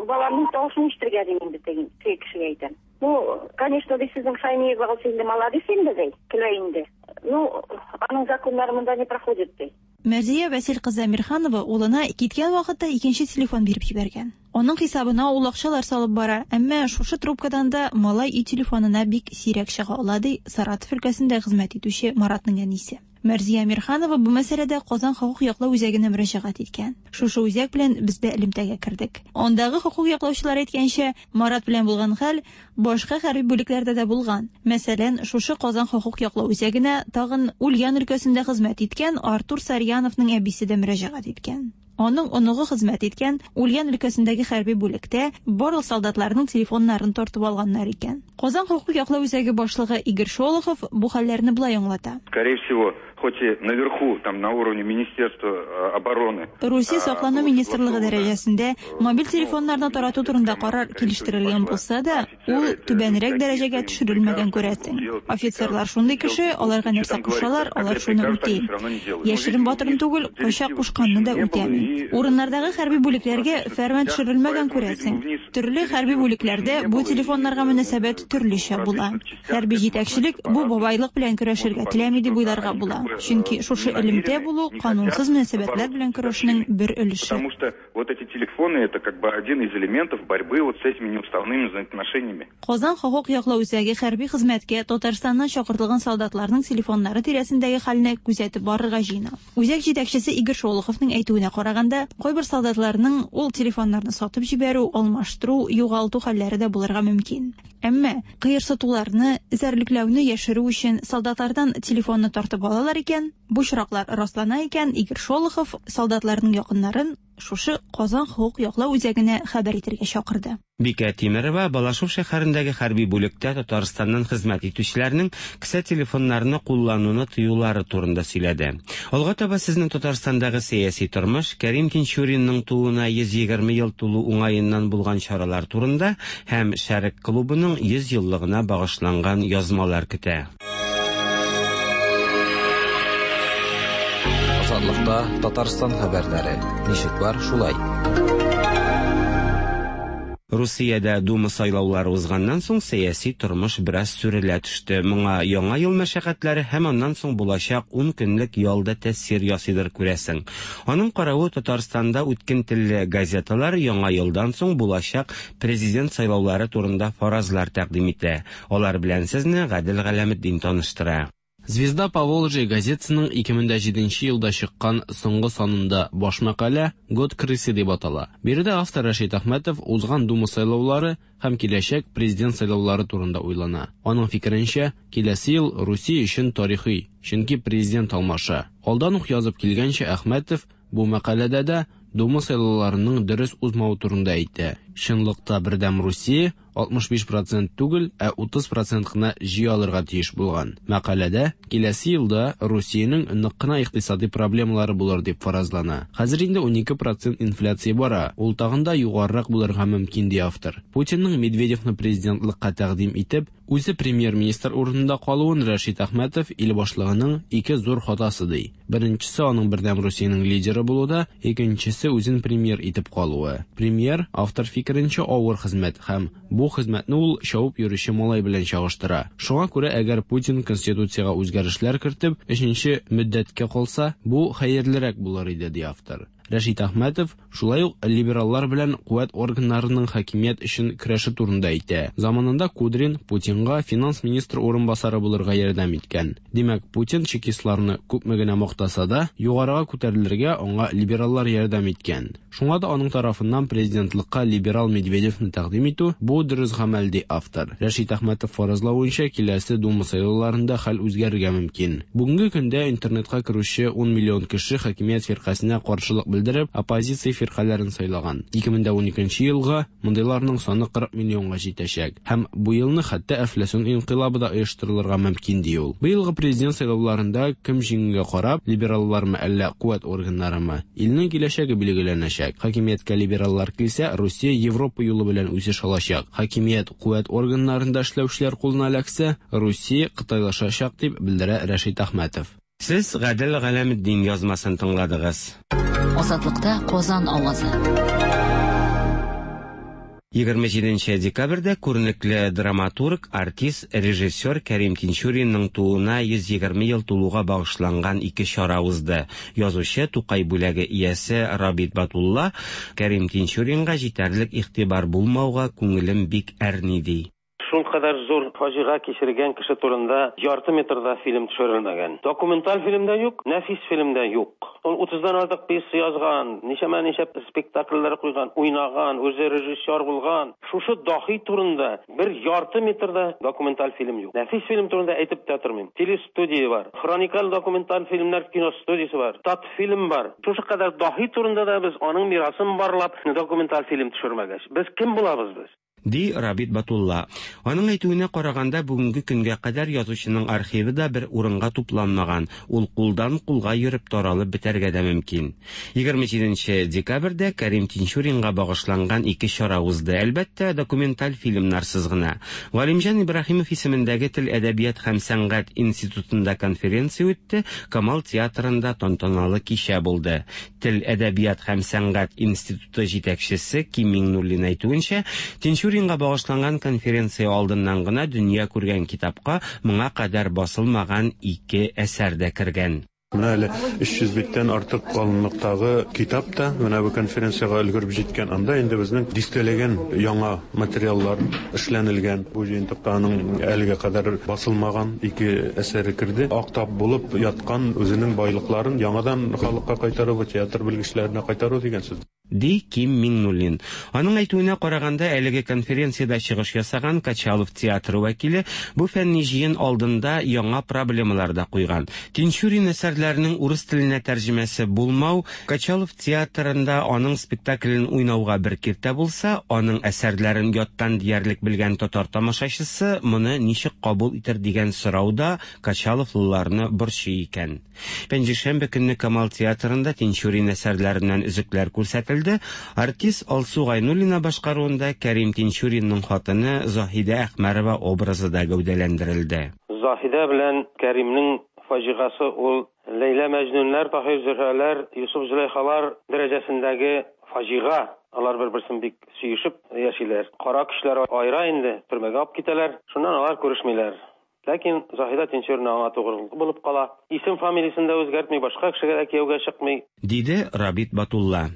баламның тавышын ишетергә дим инде теге кешегә әйтәм. Ну, конечно, ди сезнең Шаймиевагыз инде молодец инде ди, көлә инде. Ну, аның законнары монда не проходит ди. Мәрзия Вәсил кызы Әмирханова улына киткән вакытта икенче телефон биреп җибәргән. Аның хисабына ул акчалар салып бара, әмма шушы трубкадан да малай өй телефонына бик сирәк чыга ала, ди Саратов өлкәсендә хезмәт итүче Маратның әнисе. Мәрзия Әмирханова бу мәсьәләдә Казан хокук яклау үзәгенә мөрәҗәгать иткән. Шушы үзәк белән без дә элемтәгә кердек. Андагы хокук яклаучылар әйткәнчә, Марат белән булган хәл башка хәрби бүлекләрдә дә булган. Мәсәлән, шушы Казан хокук яклау үзәгенә тагын Ульян өлкәсендә хезмәт иткән Артур Сарьяновның әбисе дә мөрәҗәгать иткән. Аның оныгы хезмәт иткән Ульян өлкәсендәге хәрби бүлектә барлык солдатларның телефоннарын тартып алганнар икән. Казан хокук яклау үзәге башлыгы Игорь Шолохов бу хәлләрне болай аңлата. Скорее всего, хоть и наверху, там на уровне Министерства обороны. Русия саклану министрлыгы дәрәҗәсендә мобиль телефоннарны тарату турында карар килештерелгән булса да, ул түбәнрәк дәрәҗәгә төшерелмәгән күрәсең. Офицерлар шундый кеше, аларга нәрсә кушалар, алар шуны үти. Яшерен батырын түгел, кайчак кушканны да үтәми. Урыннардагы хәрби бүлекләргә фәрман төшерелмәгән күрәсең. Төрле хәрби бүлекләрдә бу телефоннарга мөнәсәбәт төрлечә була. Хәрби җитәкчелек бу бабайлык белән көрәшергә теләми дип уйларга була. Чөнки шушы элемтә булу канунсыз мөнәсәбәтләр белән көрәшнең бер өлеше. Потому что вот эти телефоны это как бы один из элементов борьбы вот с этими неуставными взаимоотношениями. ними. Казан хокук яклау үзәге хәрби хезмәткә Татарстаннан чакыртылган солдатларның телефоннары тирәсендәге хәлне күзәтеп барырга җыена. Үзәк җитәкчесе Игорь Шолоховның әйтүенә караганда, кайбер солдатларның ул телефоннарны сатып җибәрү, алмаштыру, югалту хәлләре дә булырга мөмкин. Әмма кыерсытуларны, эзәрлекләүне яшерү өчен солдатлардан телефонны тартып алалар икән, бу очраклар раслана икән, Игорь Шолохов солдатларның якыннарын шушы Казан хокук яклау үзәгенә хәбәр итәргә чакырды. Бикә Тимерова Балашов шәһәрендәге хәрби бүлектә Татарстаннан хезмәт итүчеләрнең кесә телефоннарны куллануны тыюлары турында сөйләде. Алга таба сезне Татарстандагы сәяси тормыш, Кәрим Тинчуринның тууына 120 ел тулу уңаеннан булган чаралар турында һәм Шәрык клубының 100 еллыгына багышланган язмалар көтә. Азатлыкта Татарстан хәбәрләре. Ничек бар, шулай. Русиядә Дума сайлаулары узганнан соң сәяси тормыш бераз сүрелә төште. Моңа Яңа ел мәшәкатьләре һәм аннан соң булачак ун көнлек ял да тәэсир ясыйдыр, күрәсең. Аның каравы, Татарстанда үткен телле газеталар Яңа елдан соң булачак президент сайлаулары турында фаразлар тәкъдим итә. Алар белән сезне Гадел Галәметдин таныштыра. Звезда Поволжья газетасының 2007 нче елда чыккан соңгы санында баш мәкалә Год крысы дип атала. Биредә автор Рәшит Әхмәтов узган Дума сайлаулары һәм киләчәк президент сайлаулары турында уйлана. Аның фикеренчә, киләсе ел Русия өчен тарихи, чөнки президент алмаша. Алдан ук язып килгәнчә, Әхмәтов бу мәкаләдә дә Дума сайлауларының дөрес узмавы турында әйтә. Чынлыкта Бердәм Русия 65 процент түгел, ә 30 процент кына җыя алырга тиеш булган. Мәкаләдә киләсе елда Русиянең нык кына икътисадый проблемалары булыр дип фаразлана. Хәзер инде 12 процент инфляция бара, ул тагын да югарырак булырга мөмкин, ди автор. Путинның Медведевны президентлыкка тәкъдим итеп, үзе премьер-министр урынында калуын Рәшит Әхмәтов ил башлыгының ике зур хатасы ди. Беренчесе аның Бердәм Русиянең лидеры булуда, икенчесе үзен премьер итеп калуы. Премьер, автор фикеренчә, авыр хезмәт һәм бу хезмәтне ул чабып йөрүче малай белән чагыштыра. Шуңа күрә әгәр Путин Конституциягә үзгәрешләр кертеп, өченче мөддәткә калса, бу хәерлерәк булыр иде, ди автор. Рәшит Әхмәтов шулай ук либераллар белән куәт органнарының хакимият өчен көрәше турында әйтә. Заманында Кудрин Путинга финанс министры урынбасары булырга ярдәм иткән. Димәк, Путин чекистларны күпме генә мактаса да, югарыга күтәрелергә аңа либераллар ярдәм иткән. Шуңа да аның тарафыннан президентлыкка либерал Медведевны тәкъдим итү, бу дөрес гамәл, ди автор. Рәшит Әхмәтов фаразлавынча, киләсе Дума сайлауларында хәл үзгәрергә мөмкин. Бүгенге көндә интернетка керүче ун миллион кеше хакимият фиркасенә каршылык белдереп, оппозиция фиркаләрен сайлаган. 2012 нче елга мондыйларның саны 40 миллионга җитәчәк. Һәм бу елны хәтта әфләсун инкыйлабы да оештырылырга мөмкин, ди ул. Быелгы президент сайлауларында кем җиңүгә карап, либераллармы әллә куәт органнарымы, илнең киләчәге билгеләнәчәк. Хакимияткә либераллар килсә, Русия Европа юлы белән үсеш алачак. Хакимият куәт органнарында эшләүчеләр кулына эләксә, Русия кытайлашачак, дип белдерә Рәшит Әхмәтов. Сез Гадел Галәметдин язмасын тыңладыгыз. Азатлыкта Казан авазы. 27 нче декабрьдә күренекле драматург, артист, режиссер Кәрим Тинчуринның тууына 120 ел тулуга багышланган ике чара узды. Язучы, Тукай бүләге иясе Рабит Батулла Кәрим Тинчуринга җитәрлек игътибар булмауга күңелем бик әрни, ди. Шулкадәр зур фаҗига кичергән кеше турында ярты метр да фильм төшерелмәгән. Документаль фильм да юк, нәфис фильм да юк. Ул утыздан артык пьеса язган, ничәмә-ничә спектакльләр куйган, уйнаган, үзе режиссер булган. Шушы даһи турында бер ярты метр да документаль фильм юк. Нәфис фильм турында әйтеп тә тормыйм. Телестудия бар, хроникаль документаль фильмнар киностудиясе бар, Татфильм бар. Шушы кадәр даһи турында да без аның мирасын барлап документаль фильм төшермәгәч, без кем булабыз без? Ди Рабит Батулла. Аның әйтүенә караганда, бүгенге көнгә кадәр язучының архивы да бер урынга тупланмаган, ул кулдан-кулга йөреп таралып бетәргә дә мөмкин. 27 нче декабрьдә Кәрим Тинчуринга багышланган ике чара узды, әлбәттә, документаль фильмнарсыз гына. Галимҗан Ибраһимов исемендәге Тел, әдәбият һәм сәнгать институтында конференция үтте, Камал театрында тантаналы кичә булды. Тел, әдәбият һәм сәнгать институты җитәкчесе Ким Миңнуллин әйтүенчә, Тинчуринга багышланган конференция алдыннан гына дөнья күргән китапка моңа кадәр басылмаган ике әсәр дә кергән. Менә әле 300 биттән артык калынлыктагы китап та менә бу конференциягә өлгереп җиткән. Анда инде безнең дистәләгән яңа материаллар эшләнелгән. Бу җыентыкта аның әлегә кадәр басылмаган ике әсәре керде. Ак тап булып яткан үзенең байлыкларын яңадан халыкка кайтару, бу театр белгечләренә кайтару дигән сүз. Ди Ким Миңнуллин. Аның әйтүенә караганда, әлеге конференциядә чыгыш ясаган Качалов театры вәкиле бу фәнни җыен алдында яңа проблемалар да куйган. Тинчурин әсәрләренең урыс теленә тәрҗемәсе булмау Качалов театрында аның спектаклен уйнауга бер киртә булса, аның әсәрләрен яттан диярлек белгән татар тамашачысы моны ничек кабул итер дигән сорау да качаловлыларны борчый икән. Пәнҗешәмбе көнне Камал театрында Тинчурин әсәрләреннән өзекләр күрсәтелде. Артист Алсу Гайнуллина башкаруында Кәрим Тинчуринның хатыны Заһидә Әхмәрова образы да гәүдәләндерелде. Заһидә белән Кәримнең фаҗигасы ул Ләйлә-Мәҗнүннәр, Таһир-Зөһрәләр, Йосыф-Зөләйхалар дәрәҗәсендәге фаҗига. Алар бер-берсен бик сөешеп яшиләр. Кара көчләр аера инде, төрмәгә алып китәләр. Шуннан алар күрешмиләр. Ләкин Заһидә Тинчурина аңа тугры булып кала. Исем-фамилиясен дә үзгәртми, башка кешегә дә кияүгә чыкмый. Диде Рабит Батулла.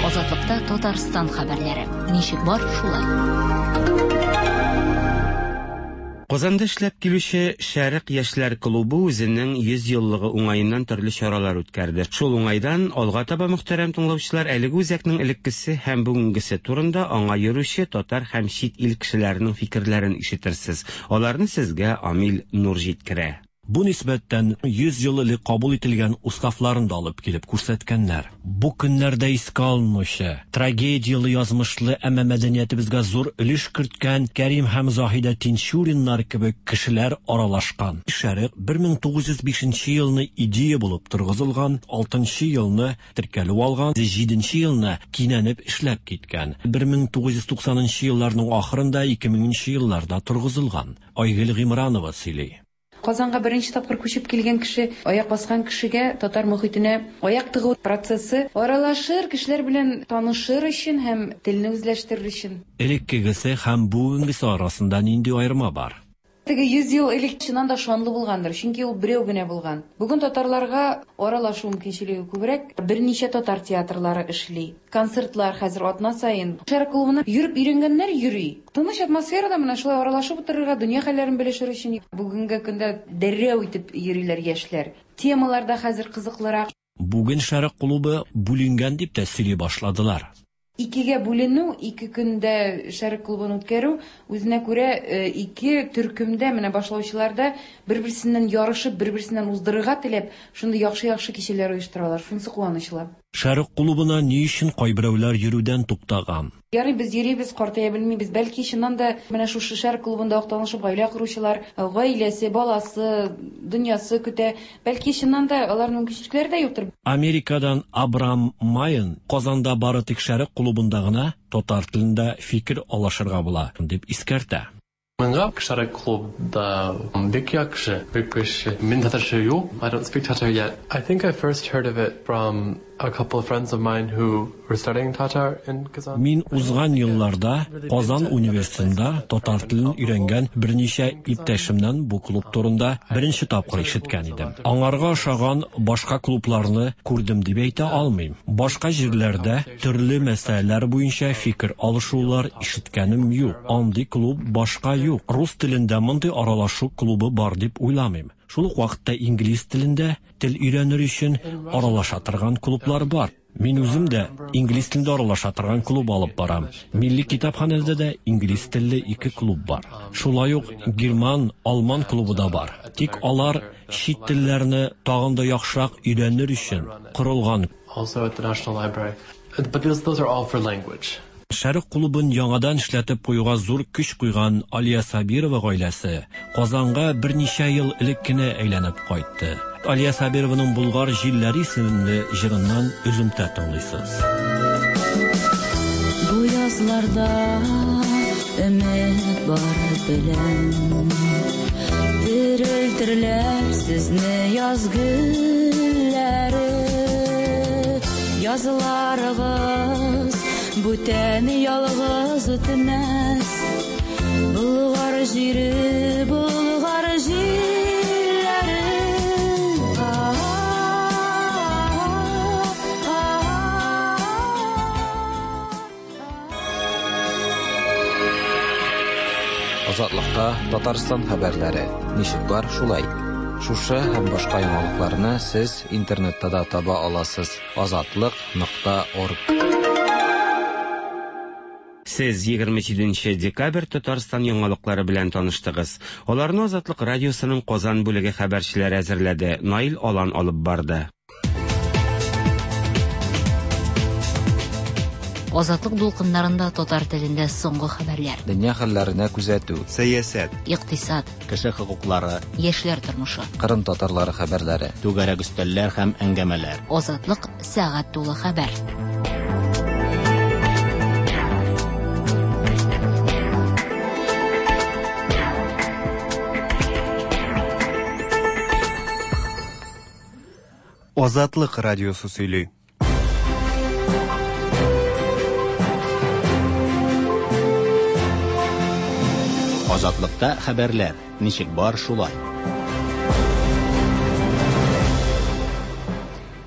Азатлыкта Татарстан хәбәрләре. Ничек бар, шулай. Казанда эшләп килүче Шәрык яшьләр клубы үзенең 100 еллыгы уңаеннан төрле чаралар үткәрде. Шул уңайдан, алга таба, мөхтәрәм тыңлаучылар, әлеге үзәкнең элеккесе һәм бүгенгесе турында аңа йөрүче татар һәм чит ил кешеләренең фикерләрен ишетерсез. Аларны сезгә Амил Нур җиткерә. Бу нисбәттән 100 ел элек кабул ителгән уставларын да алып килеп күрсәткәннәр. Бу көннәрдә искә алынучы, трагедияле язмышлы, әмма мәдәниятебезгә зур өлеш керткән Кәрим һәм Заһидә Тинчуриннар кебек кешеләр аралашкан. Шәрык 1905 нче елны идея булып торгызылган, алтынчы елны теркәлү алган, җиденче елны кинәнеп эшләп киткән. 1990 нчы елларның ахырында, 2000 нче елларда торгызылган. Айгөл Гыймранова сөйли. Казанга беренче тапкыр күчеп килгән кеше, аяк баскан кешегә татар мохитенә аяк тыгу процессы аралашыр, кешеләр белән танышыр өчен һәм телне үзләштерер өчен. Элеккегесе һәм бүгенгесе арасында нинди аерма бар? Теге 100 ел элек чыннан да шанлы булгандыр, чөнки ул берәү генә булган. Бүген татарларга аралашу мөмкинчелеге күбрәк, берничә татар театрлары эшли. Концертлар хәзер атна саен. Шәрык клубына йөреп өйрәнгәннәр йөри. Тыныч атмосферада менә шулай аралашып утырырга, дөнья хәлләрен белешер өчен бүгенге көндә дәррәү итеп йөриләр яшьләр. Темалар да хәзер кызыклырак. Бүген Шәрык клубы бүленгән дип тә сөйли башладылар. Икегә бүленү, ике көндә Шәрык клубын үткәрү, үзенә күрә ике төркемдә, менә башлаучылар да бер-берсеннән ярышып, бер-берсеннән уздырырга теләп, шундый яхшы-яхшы кичәләр оештыралар. Шунысы куанычлы. Шәрык клубына ни өчен кайберәүләр йөрүдән туктаган? Ярый, без йөрибез, картая белмибез. Бәлки, чыннан да, менә шушы Шәрык клубында ук танышып гаилә коручылар, гаиләсе, баласы, дөньясы көтә. Бәлки, чыннан да, аларның мөмкинчелекләре дә юктыр. Америкадан Абрам Майен Казанда бары тик Шәрык клубында гына татар телендә фикер алышырга була, дип искәртә. Миңа Шәрык клубда бик яхшы, бик көчле. Мин татарча юк, I don't speak Tatar yet. I think I first heard of it from a couple of friends of mine who were studying Tatar in Kazan. Мин узган елларда Казан университетында татар телен өйрәнгән берничә иптәшемнән бу клуб турында беренче тапкыр ишеткән идем. Аңарга ошаган башка клубларны күрдем дип әйтә алмыйм. Башка җирләрдә төрле мәсьәләләр буенча фикер алышулар ишеткәнем юк. Андый клуб башка юк. Рус телендә мондый аралашу клубы бар дип уйламыйм. Шул ук вакытта инглиз телендә тел өйрәнер өчен аралаша торган клублар бар. Мин үзем дә инглиз телендә аралаша торган клуб алып барам. Милли китапханәдә дә инглиз телле ике клуб бар. Шулай ук герман, алман клубы да бар. Тик алар чит телләрне тагын да яхшырак өйрәнер өчен корылган. Also at the National Library. But those, those are all for language. Шәрык клубын яңадан эшләтеп куюга зур көч куйган Алия Сабирова гаиләсе Казанга берничә ел элек кенә әйләнеп кайтты. Алия Сабированың Болгар җилләре исемле җырыннан өземтә тыңлыйсыз. Бу язларда өмет бар беләм. Терелтерләр сезне яз гөлләре. Язларыгыз бүтән ялгыз үтмәс. Болгар җире, Болгар җире. Азатлыкта Татарстан хәбәрләре. Ничек бар, шулай. Шушы һәм башка яңалыкларны сез интернетта да таба аласыз: азатлык.орг. Сез 27 декабрь Татарстан яңалыклары белән таныштыгыз. Аларны Азатлык радиосының Казан бүлеге хәбәрчеләре әзерләде. Наил Алан алып барды. Азатлык дулкыннарында татар телендә соңгы хәбәрләр. Дөнья хәлләренә күзәтү. Сәясәт. Икътисад. Кеше хокуклары. Яшьләр тормышы. Кырым татарлары хәбәрләре. Түгәрәк өстәлләр һәм әңгәмәләр. Азатлык сәгать тулы хәбәр. Азатлык радиосы сөйли. Азатлыкта хәбәрләр ничек бар шулай.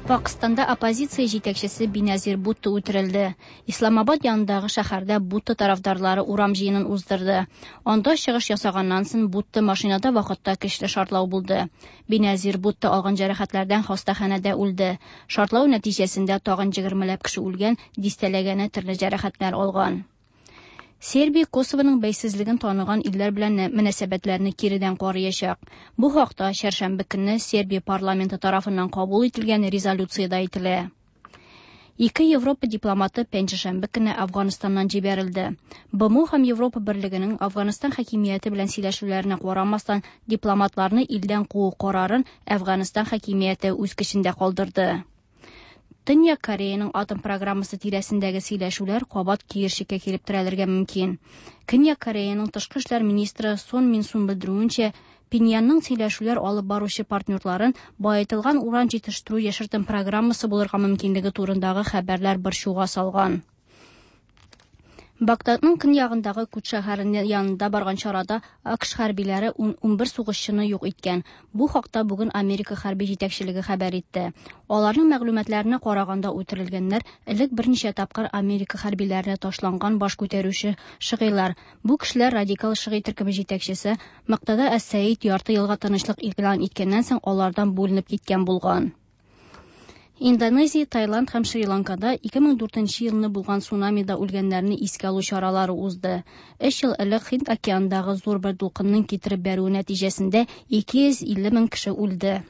Пакыстанда оппозиция җитәкчесе Биназир Бутто үтерелде. Исламабад янындагы шәһәрдә Бутто тарафдарлары урам җыенын уздырды. Анда чыгыш ясаганнан соң Бутто машинада вакытта көчле шартлау булды. Биназир Бутто алган җәрәхәтләрдән хастаханәдә үлде. Шартлау нәтиҗәсендә тагын 20ләп кеше үлгән, дистәләгәне төрле җәрәхәтләр алган. Сербия Косовоның бәйсезлеген таныган илләр белән мөнәсәбәтләрне киредән карыячак. Бу хакта чәршәмбе көнне Сербия парламенты тарафыннан кабул ителгән резолюциядә әйтелә. Ике Европа дипломаты пәнҗешәмбе көнне Афганистаннан җибәрелде. БМО һәм Европа берлегенең Афганистан хакимияте белән сөйләшүләренә карамастан, дипломатларны илдән куу карарын Афганистан хакимияте үз көчендә калдырды. Төньяк Кореяның атом программасы тирәсендәге сөйләшүләр кабат киерчеккә килеп терәлергә мөмкин. Көньяк Кореяның тышкы эшләр министры Сон Мин Сун белдерүенчә, Пиньянның сөйләшүләр алып баручы партнерларын баетылган уран җитештерү яшертен программасы булырга мөмкинлеге турындагы хәбәрләр борчуга салган. Багдадның көньягындагы Кут шәһәре янында барган чарада АКШ хәрбиләре 11 сугышчыны юк иткән. Бу хакта бүген Америка хәрби җитәкчелеге хәбәр итте. Аларның мәгълүматларына караганда үтерелгәннәр элек берничә тапкыр Америка хәрбиләренә ташланган баш күтәрүче шыгыйлар. Бу кешеләр радикал шыгый төркеме җитәкчесе Мактада әс-Сәид ярты елга тынычлык игълан иткәннән соң алардан бүленеп киткән булган. Индонезия, Таиланд һәм Шри-Ланкада 2004 елны булган цунамида үлгәннәрне искә алу чаралары узды. Өч ел элек Һинд океанындагы зур бер дулкынның китереп бәрүе нәтиҗәсендә 250 мең кеше үлде.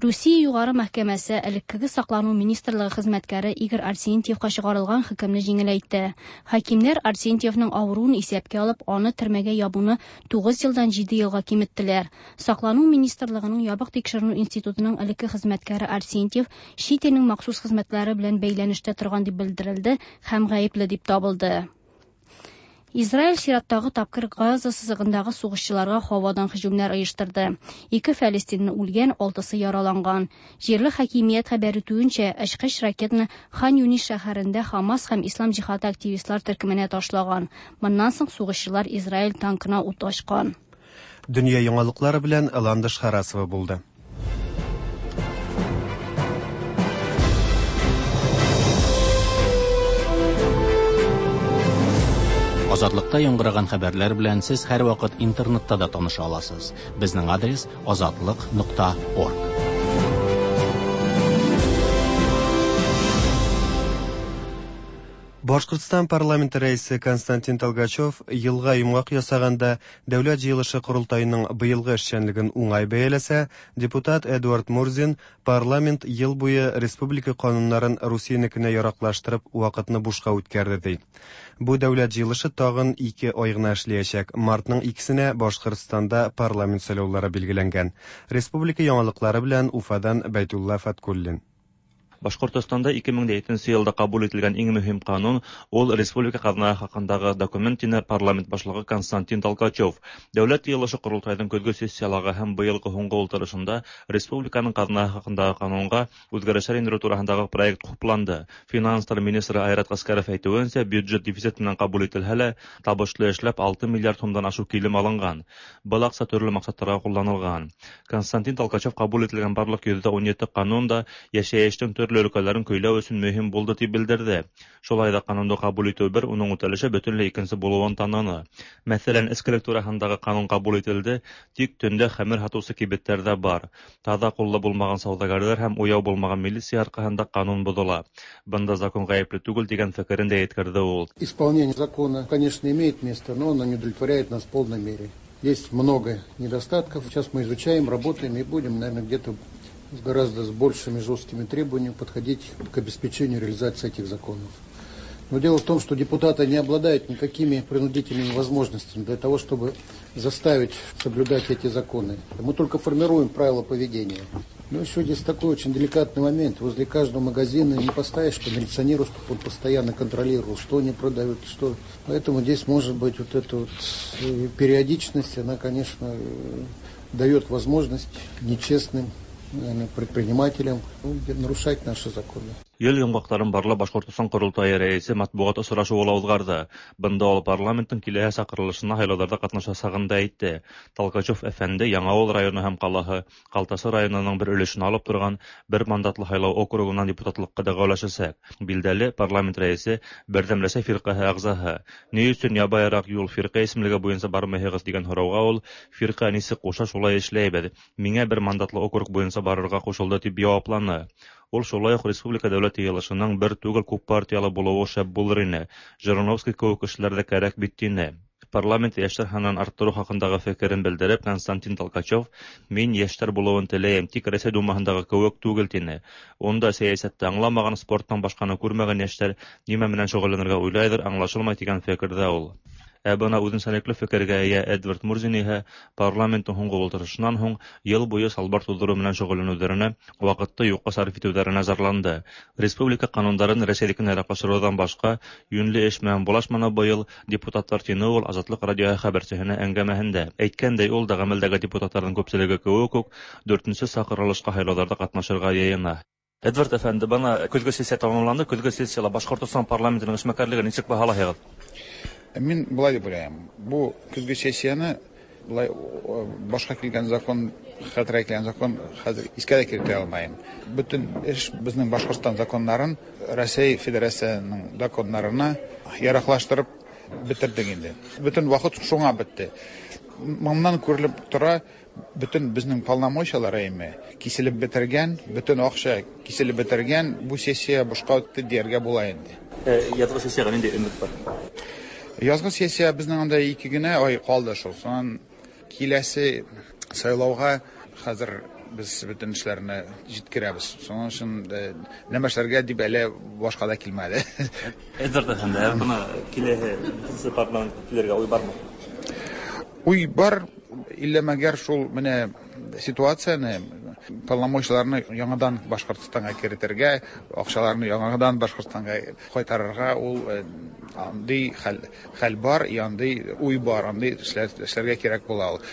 Русия югары мәхкәмәсе элеккеге саклану министрлыгы хезмәткәре Игорь Арсентьевка чыгарылган хөкемне җиңеләйтте. Хакимнәр Арсентьевның авыруын исәпкә алып, аны төрмәгә ябуны 9 елдан 7 елга киметтеләр. Саклану министрлыгының ябык тикшеренү институтының элекке хезмәткәре Арсентьев чит илнең махсус хезмәтләре белән бәйләнештә торган дип белдерелде һәм гаепле дип табылды. Израиль чираттагы тапкыр Газа сызыгындагы сугышчыларга һавадан һөҗүмнәр оештырды. Ике фәлестинле үлгән, алтысы яраланган. Җирле хакимият хәбәр итүенчә, очкыч ракетаны Хан Юнис шәһәрендә Хамас һәм Ислам җихады активистлар төркеменә ташлаган. Моннан соң сугышчылар Израиль танкына ут ачкан. Дөнья яңалыклары белән Ландыш Харасова булды. Азатлыкта яңгыраган хәбәрләр белән сез һәрвакыт интернетта да таныша аласыз. Безнең адрес азатлык.орг. Башкортстан парламенты рәисе Константин Толгачев елга йомгак ясаганда Дәүләт җыелышы корылтаеның быелгы эшчәнлеген уңай бәяләсә, депутат Эдуард Мурзин парламент ел буе республика кануннарын Русиянекенә яраклаштырып вакытны бушка үткәрде ди. Бу дәүләт җыелышы тагын ике ай гына эшләячәк. Мартның икесенә Башкортстанда парламент сайлаулары билгеләнгән. Республика яңалыклары белән Уфадан Бәйтулла Фаткуллин. Башкортостанда 2007 елда кабул ителгән иң мөһим канун ул республика казнасы хакындагы документ дине парламент башлыгы Константин Толкачев. Дәүләт йыелышы корылтайның көзге сессиялары һәм быелгы һуңгы ултырышында республиканың казнасы хакындагы канунга үзгәрешләр индерү турасындагы проект хупланды. Финанслар министры Айрат Аскаров әйтүенчә, бюджет дефицит менән кабул ителһә лә, табышлы эшләп 6 миллиард сумдан ашык килем алынган. Был акча төрле максатларга кулланылган. Константин Толкачев кабул ителгән барлык 117 канун да яшәештең төрле төрле өлкәләрен көйләү өчен мөһим булды дип белдерде. Шулай да канунды кабул итү бер, уның үтәлеше бөтенләй икенче булуын таныны. Мәсәлән, эчкелек тураһындагы канун кабул ителде, тик төндә хәмер һатучы кибетләр дә бар. Таҙа ҡуллы булмаған сауҙагәрҙәр һәм уяу булмаған милиция арҡаһында канун боҙола. Бында закон ғәйепле түгел тигән фекерен дә еткерҙе ул. Исполнение закона, конечно, имеет место, но оно не удовлетворяет нас в полной мере. Есть много недостатков. Сейчас мы изучаем, работаем и будем, наверное, где-то гораздо с большими жесткими требованиями подходить к обеспечению реализации этих законов. Но дело в том, что депутаты не обладают никакими принудительными возможностями для того, чтобы заставить соблюдать эти законы. Мы только формируем правила поведения. Но еще здесь такой очень деликатный момент. Возле каждого магазина не поставишь по милиционеру, чтобы он постоянно контролировал, что они продают, что. Поэтому здесь может быть вот эта вот периодичность, она, конечно, дает возможность нечестным, наверное, предпринимателям, ну, нарушать наши законы. Ел йомғаҡтарын барлап Башҡортостан ҡоролтайы рәйесе матбуғат осрашыуы ла уҙғарҙы. Бында ул парламенттың киләһе саҡырылышына һайлауҙарҙа ҡатнашасағын да әйтте. Толкачев әфәнде Яңауыл районы һәм ҡалаһы Ҡалтасы районының бер өлөшөн алып торған бер мандатлы һайлау округынан депутатлыҡҡа дәғүәләшәсәк. Билдәле, парламент рәйесе Берҙәм Рәсәй фирҡәһе ағзаһы. Ни өсөн ябайыраҡ юл фирҡә исемлеге буйынса бармайһығыҙ тигән һорауға ул фирҡә нисек ҡуша шулай эшләйбеҙ. Миңә бер мандатлы округ буйынса барырға ҡушылды тип яуапланы. Ул шулай уҡ республика дәүләт йыйылышының бер түгел күп партиялы булыуы шәп булыр ине. Жириновский кеүек кешеләр дә кәрәк бит тине. Парламент йәштәр һанын арттырыу хаҡындағы фекерен белдереп, Константин Толкачев мин йәштәр булыуын теләйем, тик Рәсәй Думаһындағы кеүек түгел тине. Унда сәйәсәтте аңламаған, спорттан башҡаны күрмәгән йәштәр нимә менән шөғөлләнергә уйлайҙыр, аңлашылмай тигән фекерҙә ул. Ә бына үҙенсәлекле фекергә эйә Эдвард Мурзин иһә парламенттың һуңғы ултырышынан һуң йыл буйы салбар туҙҙырыу менән шөғөлләнеүҙәренә, ваҡытты юҡҡа сарыф итеүҙәренә зарланды. Республика ҡанундарын Рәсәйҙекенә яраҡлаштырыуҙан башҡа йүнле эш менән булашманы быйыл депутаттар, тине ул Азатлыҡ радиоһы хәбәрсеһенә әңгәмәһендә. Әйткәндәй, ул да ғәмәлдәге депутаттарҙың күпселеге кеүек үк дүртенсе саҡырылышҡа һайлауҙарҙа ҡатнашырға йыйына. Эдвард әфәнде, бына көҙгө сессия тамамланды. Көҙгө сессияла Башҡортостан парламентының эшмәкәрлеген нисек баһалайһығыҙ? Мин былай дип уйлайым. Бу көзгө сессияны былай башҡа килгән закон, хәтергә килгән закон хәзер искә дә кертә алмайым. Бөтен эш безнең Башҡортостан законнарын Рәсәй Федерацияһының законнарына яраҡлаштырып бөтөрҙөк инде. Бөтен ваҡыт шуңа бөттө. Моннан күрелеп тора, бөтен безнең полномочиялар әйме киселеп бетергән, бөтен акча киселеп бетергән, бу сессия бушка үтте дияргә була инде. Язгы сессияга нинди өмөт бар? Язгы сессия безнең анда 2 генә ай калды шул. Сонан киләсе сайлауга хәзер без бөтен эшләрне җиткерәбез. Шуның өчен нәмә эшләргә дип әле башка да килмәде. Эдвард әфәнде, бына киләһе парламентка килергә уй бармы? Уй бар, иллә мәгәр шул менә ситуацияне, полномочияларны яңадан Башҡортостанға керетергә, акчаларны яңадан Башҡортостанға кайтарырга ул андый хәл бар, андый уй бар, андый эшләргә кирәк була ул.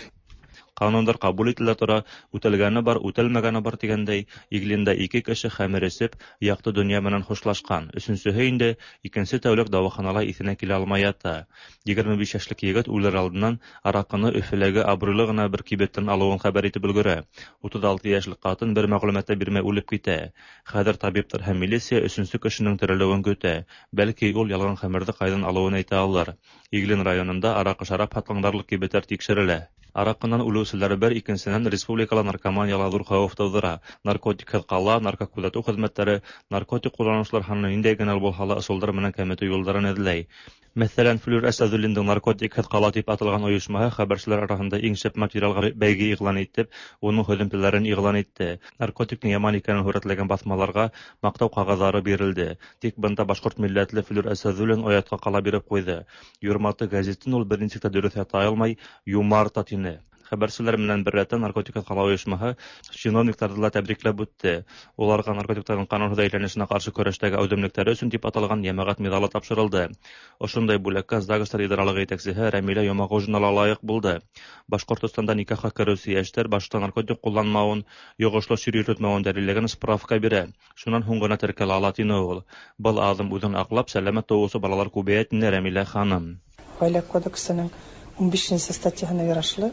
Ҡанундар ҡабул ителә тора, үтәлгәне бар, үтәлмәгәне бар тигәндәй, Иглинда 2 кеше хәмер эсеп, яҡты донъя менән хушлашҡан. Өсөнсөһө инде икенсе тәүлек дауаханала иҫенә килә алмай ята. 25 йәшлек егет үлер алдынан араҡыны Өфөләге абруйлы ғына бер кибеттән алыуын хәбәр итеп өлгөрә. 36 йәшлек ҡатын бер мәғлүмәт тә бирмәй үлеп китә. Хәҙер табиптар һәм милиция өсөнсө кешенең терелеүен көтә. Бәлки ул ялған хәмерҙе ҡайҙан алыуын әйтә алыр. Иглин районында араҡы шарап һатҡан барлыҡ кибеттәр тикшерелә. Араҡынан үлеүселәр бер, икенсенән республикала наркоманияла ҙур хәүеф тыуҙыра. Наркотикһыҙ ҡала, наркокүҙәтеү хеҙмәттәре наркотик ҡулланыусылар һанын ниндәй генә булһа ла ысулдар менән кәметеү юлдарын эҙләй. Мәҫәлән, Флүр Әсәҙуллиндың наркотикһыҙ ҡала тип аталған ойошмаһы хәбәрселәр араһында иң шәп материалға бәйге иғлан итеп, уның һөҙөмтәләрен иғлан итте. Наркотиктың яман икәнен һүрәтләгән баҫмаларға маҡтау ҡағыҙҙары бирелде. Тик бында башҡорт милләтле Флүр Әсәҙуллин оятҡа ҡала биреп ҡуйҙы. Юрматы гәзитен ул бер нисек тә дөрөҫ ята алмай, юмарта тине. Хәбәрселәр менән бер рәттән наркотикһыҙ ҡала ойошмаһы чиновниктарҙы ла тәбрикләп үтте. Уларға наркотиктарҙың ҡанунһыҙ әйләнешенә ҡаршы көрәштәге әүҙемлектәре өсөн тип аталған йәмәғәт миҙалы тапшырылды. Ошондай бүләккә ЗАГСтар идаралығы етәксеһе Рәмилә Йомағужина ла лайыҡ булды. Башҡортостанда никахҡа кереүсе йәштәр башта наркотик ҡулланмауын, йоғошло сир йөрөтмәүен дәлилләгән справка бирә. Шунан һуң ғына теркәлә ала, тине ул. Был аҙым үҙен аҡлап, сәләмәт тыуыусы балалар күбәйә, тине Рәмилә ханым. Ғаилә кодексының 15-нсе статьяһына ярашлы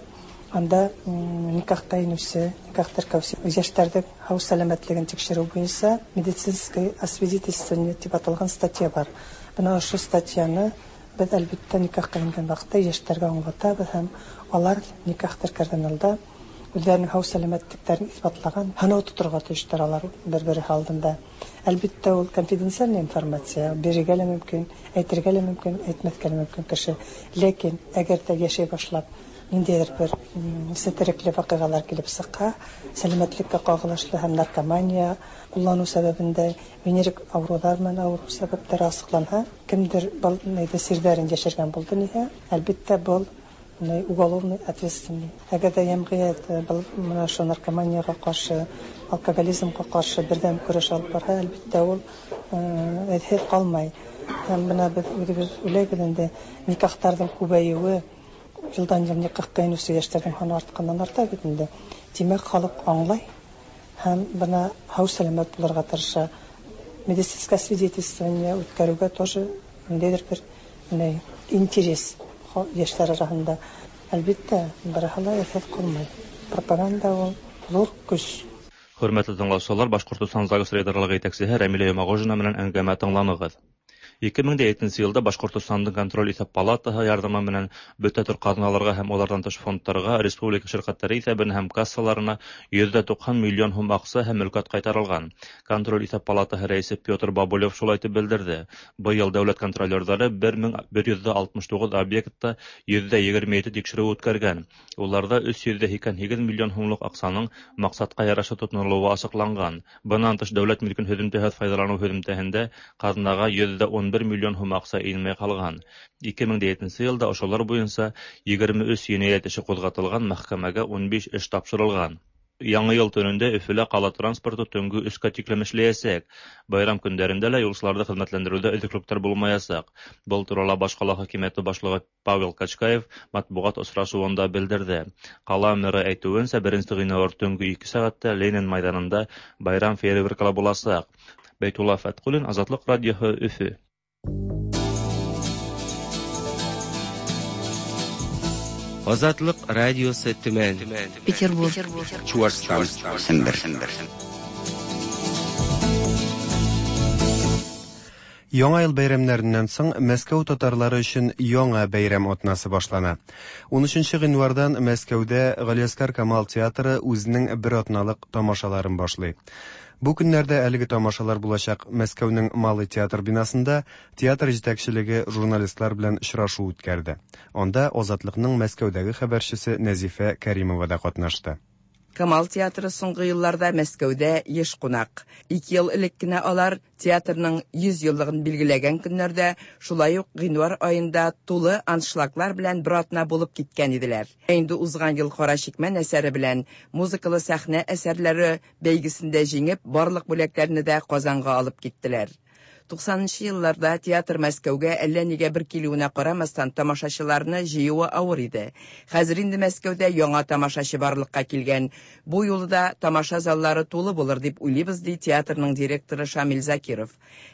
Анда никахка инүче, никах теркәүче яшьләрнең һау сәламәтлеген тикшерү буенча медицинское освидетельствование дип аталган статья бар. Менә ошо статьяны без, әлбәттә, никахка ингән вакытта яшьләргә аңлатабыз һәм алар никах теркәрдән алда үзләренең һау сәламәтлекләрен исбатлаган һынау тотырга тиешләр алар бер-бере алдында. Әлбәттә, ул конфиденциальная информация, бирергә лә мөмкин, әйтергә лә мөмкин, әйтмәскә лә мөмкин кеше. Ләкин әгәр дә яшәй башлап, ниндәйдер бер сетерекле вакыйгалар килеп чыкка, сәламәтлеккә кагылышлы һәм наркомания куллану сәбәбендә венерик авырулар белән авыру сәбәпләре ачыкланса, кемдер был серләрен яшергән булды нигә, әлбәттә, был уголовный ответственный. Әгәр дә җәмгыять был менә ошо наркоманияга каршы, алкоголизмга каршы бердәм көрәш алып барса, әлбәттә, ул эзһез калмай. Һәм менә без үзебез уйлайбыз инде, никахларның күбәюе, елдан ел никахка инүче яшьләрнең саны артканнан арта бит инде. Димәк, халык аңлай һәм бына һау сәламәт булырга тырыша. Медицинское свидетельствование үткәрүгә тоже ниндәйдер бер интерес яшьләр арасында. Әлбәттә, барыһы ла эзһез калмай. Пропаганда ул зур көч. Хөрмәтле тыңлаучылар, Башкортостан ЗАГС рейдерлыгы җитәкчесе Рәмилә Йомагожина менән әңгәмә тыңланыгыз. 2007 елда Башкортостандың контроль исәп палатаһы ярҙамы менән бөтә төр ҡаҙналарға һәм уларҙан тыш фондтарға, республика ширкәттәре иҫәбенә һәм кассаларына 190 миллион һум аҡса һәм мөлкәт ҡайтарылған. Контроль иҫәп палатаһы рәйесе Петр Бабулев шулай итеп белдерҙе. Быйыл дәүләт контролерҙары 1169 объектта 127 тикшереү үткәргән. Уларҙа 388 миллион һумлыҡ аҡсаның маҡсатҡа ярашлы тотонолоуы асыҡланған. Бынан тыш дәүләт милкен һөҙөмтәһеҙ файҙаланыу һөҙөмтәһендә ҡаҙнаға 111 миллион һум аҡса инмәй ҡалған. 2007 йылда ошолар буйынса 23 енәйәт эше ҡуҙғатылған, мәхкәмәгә 15 эш тапшырылған. Яңы йыл төнөндә Өфөлә ҡала транспорты төнгө 3-кә тиклем эшләйәсәк. Байрам көндәрендә лә юлсыларҙы хеҙмәтләндереүҙә өҙөклөктәр булмаясаҡ. Был турала баш ҡала хакимиәте башлығы Павел Качкаев матбуғат осрашыуында белдерҙе. Ҡала мэры әйтеүенсә, 1 ғинуар төнгө 2 сәғәттә Ленин майҙанында байрам фейерверкалары буласаҡ. Бәйтулла Фәтҡуллин, Азатлыҡ радиоһы, Өфө. Азатлык радиосы Төмән, Петербург, Чуашстан, Сембер. Яңа ел бәйрәмнәреннән соң Мәскәү татарлары өчен яңа бәйрәм атнасы башлана. 13 гыйнвардан Мәскәүдә Галиәсгар Камал театры үзенең бер атналык тамашаларын башлый. Бу көннәрдә әлеге тамашалар булачак Мәскәүнең Малый театр бинасында театр җитәкчелеге журналистлар белән очрашу үткәрде. Анда Азатлыкның Мәскәүдәге хәбәрчесе Нәзифә Кәримова да катнашты. Камал театры соңгы елларда Мәскәүдә еш кунак. 2 ел элек кенә алар театрның 100 еллыгын билгеләгән көннәрдә, шулай ук гыйнвар аенда тулы аншлаглар белән бер атна булып киткән иделәр. Инде узган ел Кара чикмән әсәре белән музыкалы сәхнә әсәрләре бәйгесендә җиңеп, барлык бүләкләрне дә Казанга алып киттеләр. 90 елларда театр Мәскәүгә әллә нигә бер килүенә карамастан тамашачыларны җыюы авыр иде. Хәзер инде Мәскәүдә яңа тамашачы барлыкка килгән. Бу юлы да тамаша заллары тулы булыр дип уйлыйбыз, ди театрның директоры Шамил Закиров.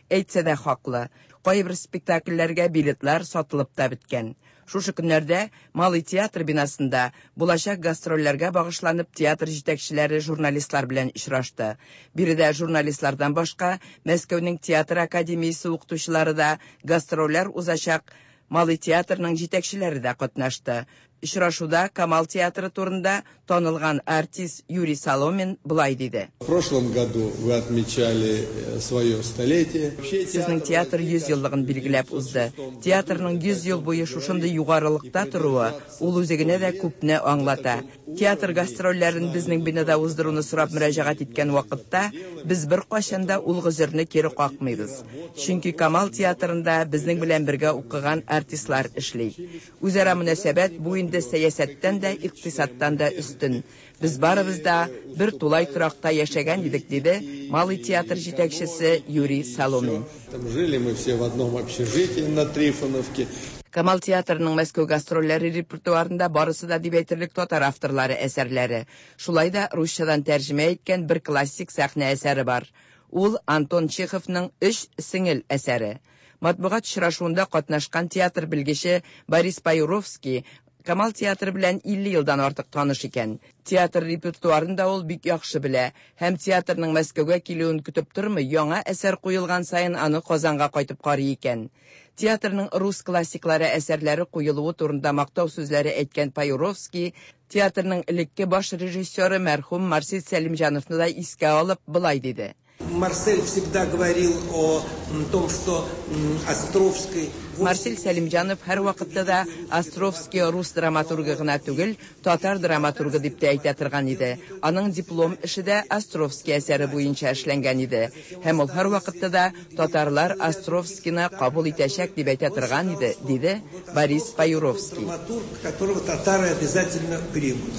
Әйтсә дә хаклы. Кайбер спектакльләргә билетлар сатылып та беткән. Шушы көннәрдә Малый театр бинасында булачак гастрольләргә багышланып театр җитәкчеләре журналистлар белән очрашты. Биредә журналистлардан башка Мәскәүнең театр академиясе укытучылары да гастрольләр узачак Малый театрның җитәкчеләре дә катнашты. Очрашуда Камал театры турында танылган артист Юрий Соломин былай диде. В прошлом году вы отмечали свое столетие. Сезнең театр 100 еллыгын билгеләп узды. Театрның 100 ел буе шушындый югарылыкта торуы ул үзе генә дә күпне аңлата. Театр гастрольләрен безнең бинада уздыруны сорап мөрәҗәгать иткән вакытта без беркайчан да ул гозерне кире какмыйбыз. Чөнки Камал театрында безнең белән бергә укыган артистлар эшли. Үзара мөнәсәбәт бу инде сәясәттән дә, икътисадтан да өстен. Без барыбыз да бер тулай торакта яшәгән идек, диде Малый театр җитәкчесе Юрий Соломин. Там жили мы все в одном общежитии на Трифоновке. Камал театрының Мәскәү гастрольләре репертуарында барысы да дип әйтерлек татар авторлары әсәрләре. Шулай да русчадан тәрҗемә иткән бер классик сәхнә әсәре бар. Ул Антон Чеховның Өч сеңел әсәре. Матбугат очрашуында катнашкан театр белгече Борис Паюровский Камал театры белән 50 елдан артык таныш икән. Театр репертуарын да ул бик яхшы белә һәм театрның Мәскәүгә килүен көтеп тормый, яңа әсәр куелган саен аны Казанга кайтып карый икән. Театрның рус классиклары әсәрләре куелуы турында мактау сүзләре әйткән Паюровский, театрның элекке баш режиссеры мәрхүм Марсель Сәлимҗановны да искә алып, болай диде. Марсель всегда говорил о том, что Островский... Марсель Сәлимҗанов һәрвакытта да Островский рус драматургы гына түгел, татар драматургы дип тә әйтә торган иде. Аның диплом эше дә Островский әсәре буенча эшләнгән иде. Һәм ул һәрвакытта да татарлар Островскийны кабул итәчәк дип әйтә торган иде, диде Борис Паюровский. Драматург, которого татары обязательно примут.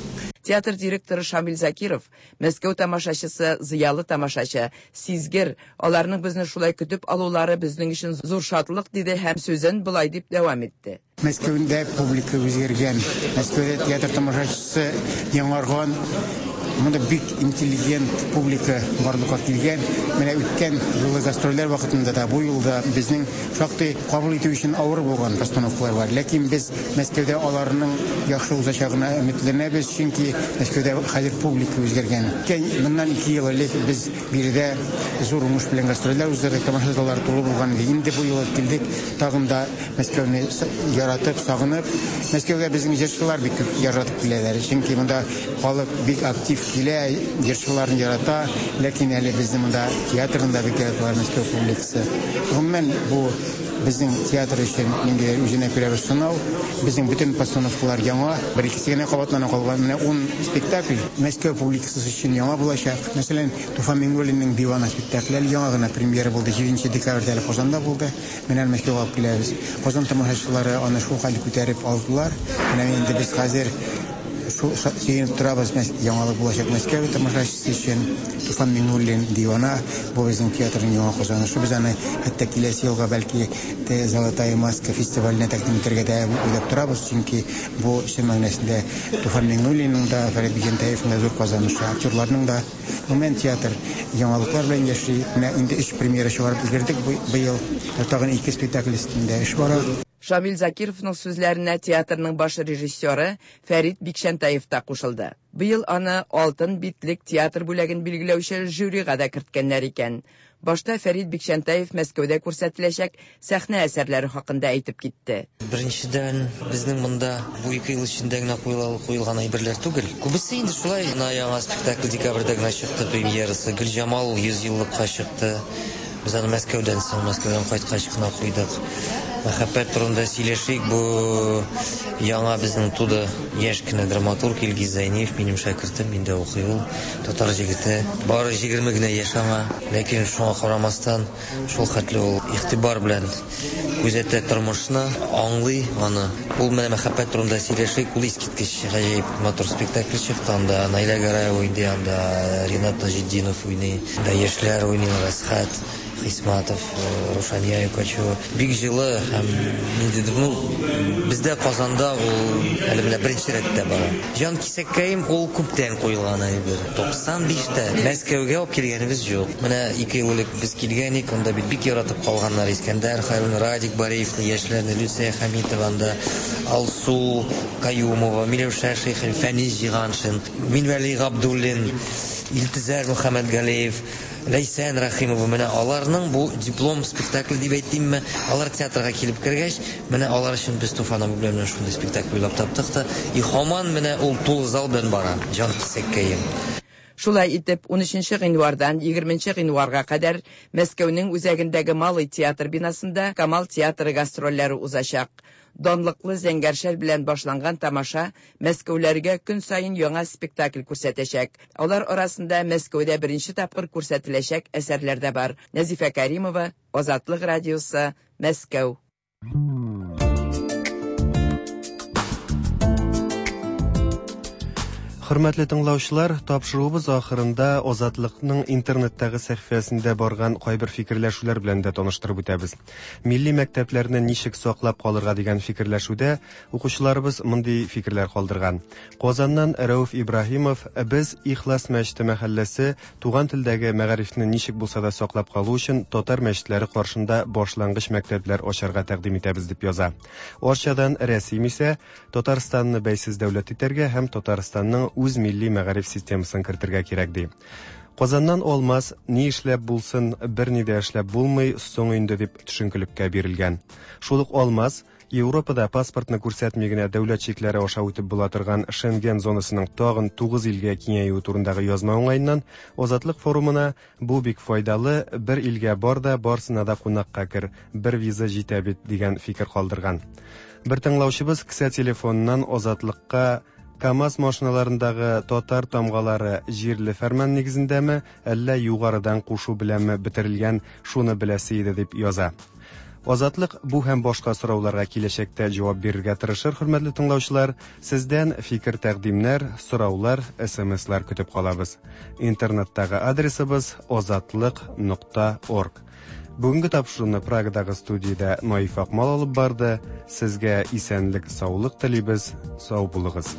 Театр директоры Шамил Закиров, Мәскәү тамашачысы, зыялы тамашачы, сизгер, аларның безне шулай көтеп алулары безнең өчен зур шатлык, диде һәм сүзен болай дип дәвам итте. Мәскәүдә публика үзгәргән, Мәскәүдә театр тамашачысы яңарган, монда бик интеллигент публика барлыкка килгән. Менә үткән юлы гастрольләр вакытында да, бу юлда безнең шактый кабул итү өчен авыр булган постановкалар бар. Ләкин без Мәскәүдә аларның яхшы узачагына өметләнәбез, чөнки Мәскәүдә хәзер публика үзгәргән. Моннан 2 ел элек без биредә зур уңыш белән гастрольләр уздырдык, тамаша заллары тулы булган иде. Инде бу юлы килдек, тагын да Мәскәүне яратып, сагынып. Мәскәүгә безнең җырчылар бик күп яратып киләләр, чөнки монда халык бик актив килә, җырчыларын ярата, ләкин әле безне монда театрны да бик яраталар Мәскәү публикасы. Гомумән, бу безнең театр өчен ниндидер үзенә күрә бер сынау. Безнең бөтен постановкалар яңа, бер-икесе генә кабатлана калган. Менә 10 спектакль Мәскәү публикасы өчен яңа булачак. Мәсәлән, Туфан Миңнуллинның Дивана спектакле әле яңа гына премьера булды, 7 декабрьдә әле Казанда булды. Менә Мәскәүгә алып киләбез. Казан тамашачылары аны шул хәл күтәреп алдылар. Менә инде без хәзер шул сөенеп торабыз, яңалык булачак Мәскәү тамашачысы өчен. Туфан Миңнуллин Дивана, бу безнең театрның яңа казанышы. Без аны хәтта киләсе елга бәлки Золотая маска фестиваленә тәкъдим итәргә дә уйлап торабыз, чөнки бу чын мәгънәсендә Туфан Миңнуллинның да, Фәрит Бикчәнтәевның да зур казанышы, актерларның да. Гомумән, театр яңалыклар белән яши. Менә инде 3 премьера чыгарып өлгердек быел. Тагын 2 спектакль өстендә эш бара. Шамил Закировның сүзләренә театрның баш режиссеры Фәрит Бикчәнтәев та кушылды. Быел аны Алтын битлек театр бүләген билгеләүче жюрига да керткәннәр икән. Башта Фәрит Бикчәнтәев Мәскәүдә күрсәтеләчәк сәхнә әсәрләре хакында әйтеп китте. Беренчедән, безнең монда бу 2 ел эчендә генә куелган әйберләр түгел. Күбесе инде шулай, менә яңа спектакль декабрьдә генә чыкты премьерасы. Гөлҗамал 100 еллыкка чыкты. Без аны Мәскәүдән соң, Мәскәүдән кайткач кына куйдык. Мәхәббәт турында сөйләшик. Бу яңа безнең туды яшь кенә драматург Илгиз Зәйниев, минем шәкертем, миндә укый ул, татар җегете. Бары 20 генә яшь аңа, ләкин шуңа карамастан, шул хәтле ул игътибар белән күзәтә тормышны, аңлый аны. Ул менә Мәхәббәт турында сөйләшик, ул искиткеч гаҗәеп матур спектакль чыкты. Анда Наилә Гараева уйный, анда Ринат Таҗетдинов уйный, анда яшьләр уйныйлар, Әсхәт Хисматов, Рушания Юкачева. Бик җылы һәм ниндидер, ну, бездә Казанда ул әле менә беренче рәттә бара. Җан кисәккәем ул күптән куелган әйбер. 95-тә Мәскәүгә алып килгәнебез юк. Менә 2 ел элек без килгән идек, анда бит бик яратып калганнар Искәндәр Хәйруллин, Радик Бариевны, яшьләрне, Люция Хәмитова анда, Алсу Каюмова, Миләүшә Шәйхин, Фәнис Җиганшин, Минвәли Габдуллин, Илтизәр Мөхәммәтгалиев, Ләйсән Рәхимова, менә аларның бу диплом спектакль дип әйтимме, алар театрга килеп кергәч, менә алар өчен без Туфан абый белән менә шундый спектакль уйлап таптык та, и һаман менә ул тулы зал белән бара, җан кисәккәем. Шулай итеп, 13 гыйнвардан 20 гыйнварга кадәр Мәскәүнең үзәгендәге Малый театр бинасында Камал театры гастрольләре узачак. Данлыклы Зәңгәр шәл белән башланган тамаша мәскәүләргә көн саен яңа спектакль күрсәтәчәк. Алар арасында Мәскәүдә беренче тапкыр күрсәтеләчәк әсәрләр дә бар. Нәзифә Кәримова, Азатлык радиосы, Мәскәү. Хөрмәтле тыңлаучылар, тапшыруыбыз ахырында Азатлыкның интернеттагы сәхифәсендә барган кайбер фикерләшүләр белән дә таныштырып үтәбез. Милли мәктәпләрне ничек саклап калырга дигән фикерләшүдә укучыларыбыз мондый фикерләр калдырган. Казаннан Рәүф Ибраһимов без Ихлас мәчете мәхәлләсе туган телдәге мәгарифне ничек булса да саклап калу өчен татар мәчетләре каршында башлангыч мәктәпләр ачарга тәкъдим итәбез дип яза. Арчадан Рәсим исә Татарстанны бәйсез дәүләт итәргә һәм Татарстанның үз милли мәгариф системасын кертергә кирәк ди. Казаннан Алмаз, ни эшләп булсын, берни дә эшләп булмый, соң инде дип төшенкелеккә бирелгән. Шул ук Алмаз, Европада паспортны күрсәтми генә дәүләт чикләре аша үтеп була торган Шенген зонасының тагын 9 илгә киңәюе турындагы язма уңаеннан Азатлык форумына бу бик файдалы, бер илгә бар да, барсына да кунакка кер, бер виза җитә бит дигән фикер калдырган. Бер тыңлаучыбыз кесә телефоныннан Азатлыкка КАМАЗ машиналарындагы татар тамгалары җирле фәрман нигезендәме, әллә югарыдан кушу беләнме бетерелгән, шуны беләсе иде дип яза. Азатлык бу һәм башка сорауларга киләчәктә җавап бирергә тырышыр, хөрмәтле тыңлаучылар. Сездән фикер-тәкъдимнәр, сораулар, СМСлар көтеп калабыз. Интернеттагы адресыбыз азатлык.орг. Бүгенге тапшыруны Прагадагы студиядә Наиф Акмал алып барды. Сезгә исәнлек, саулык телибез. Сау булыгыз.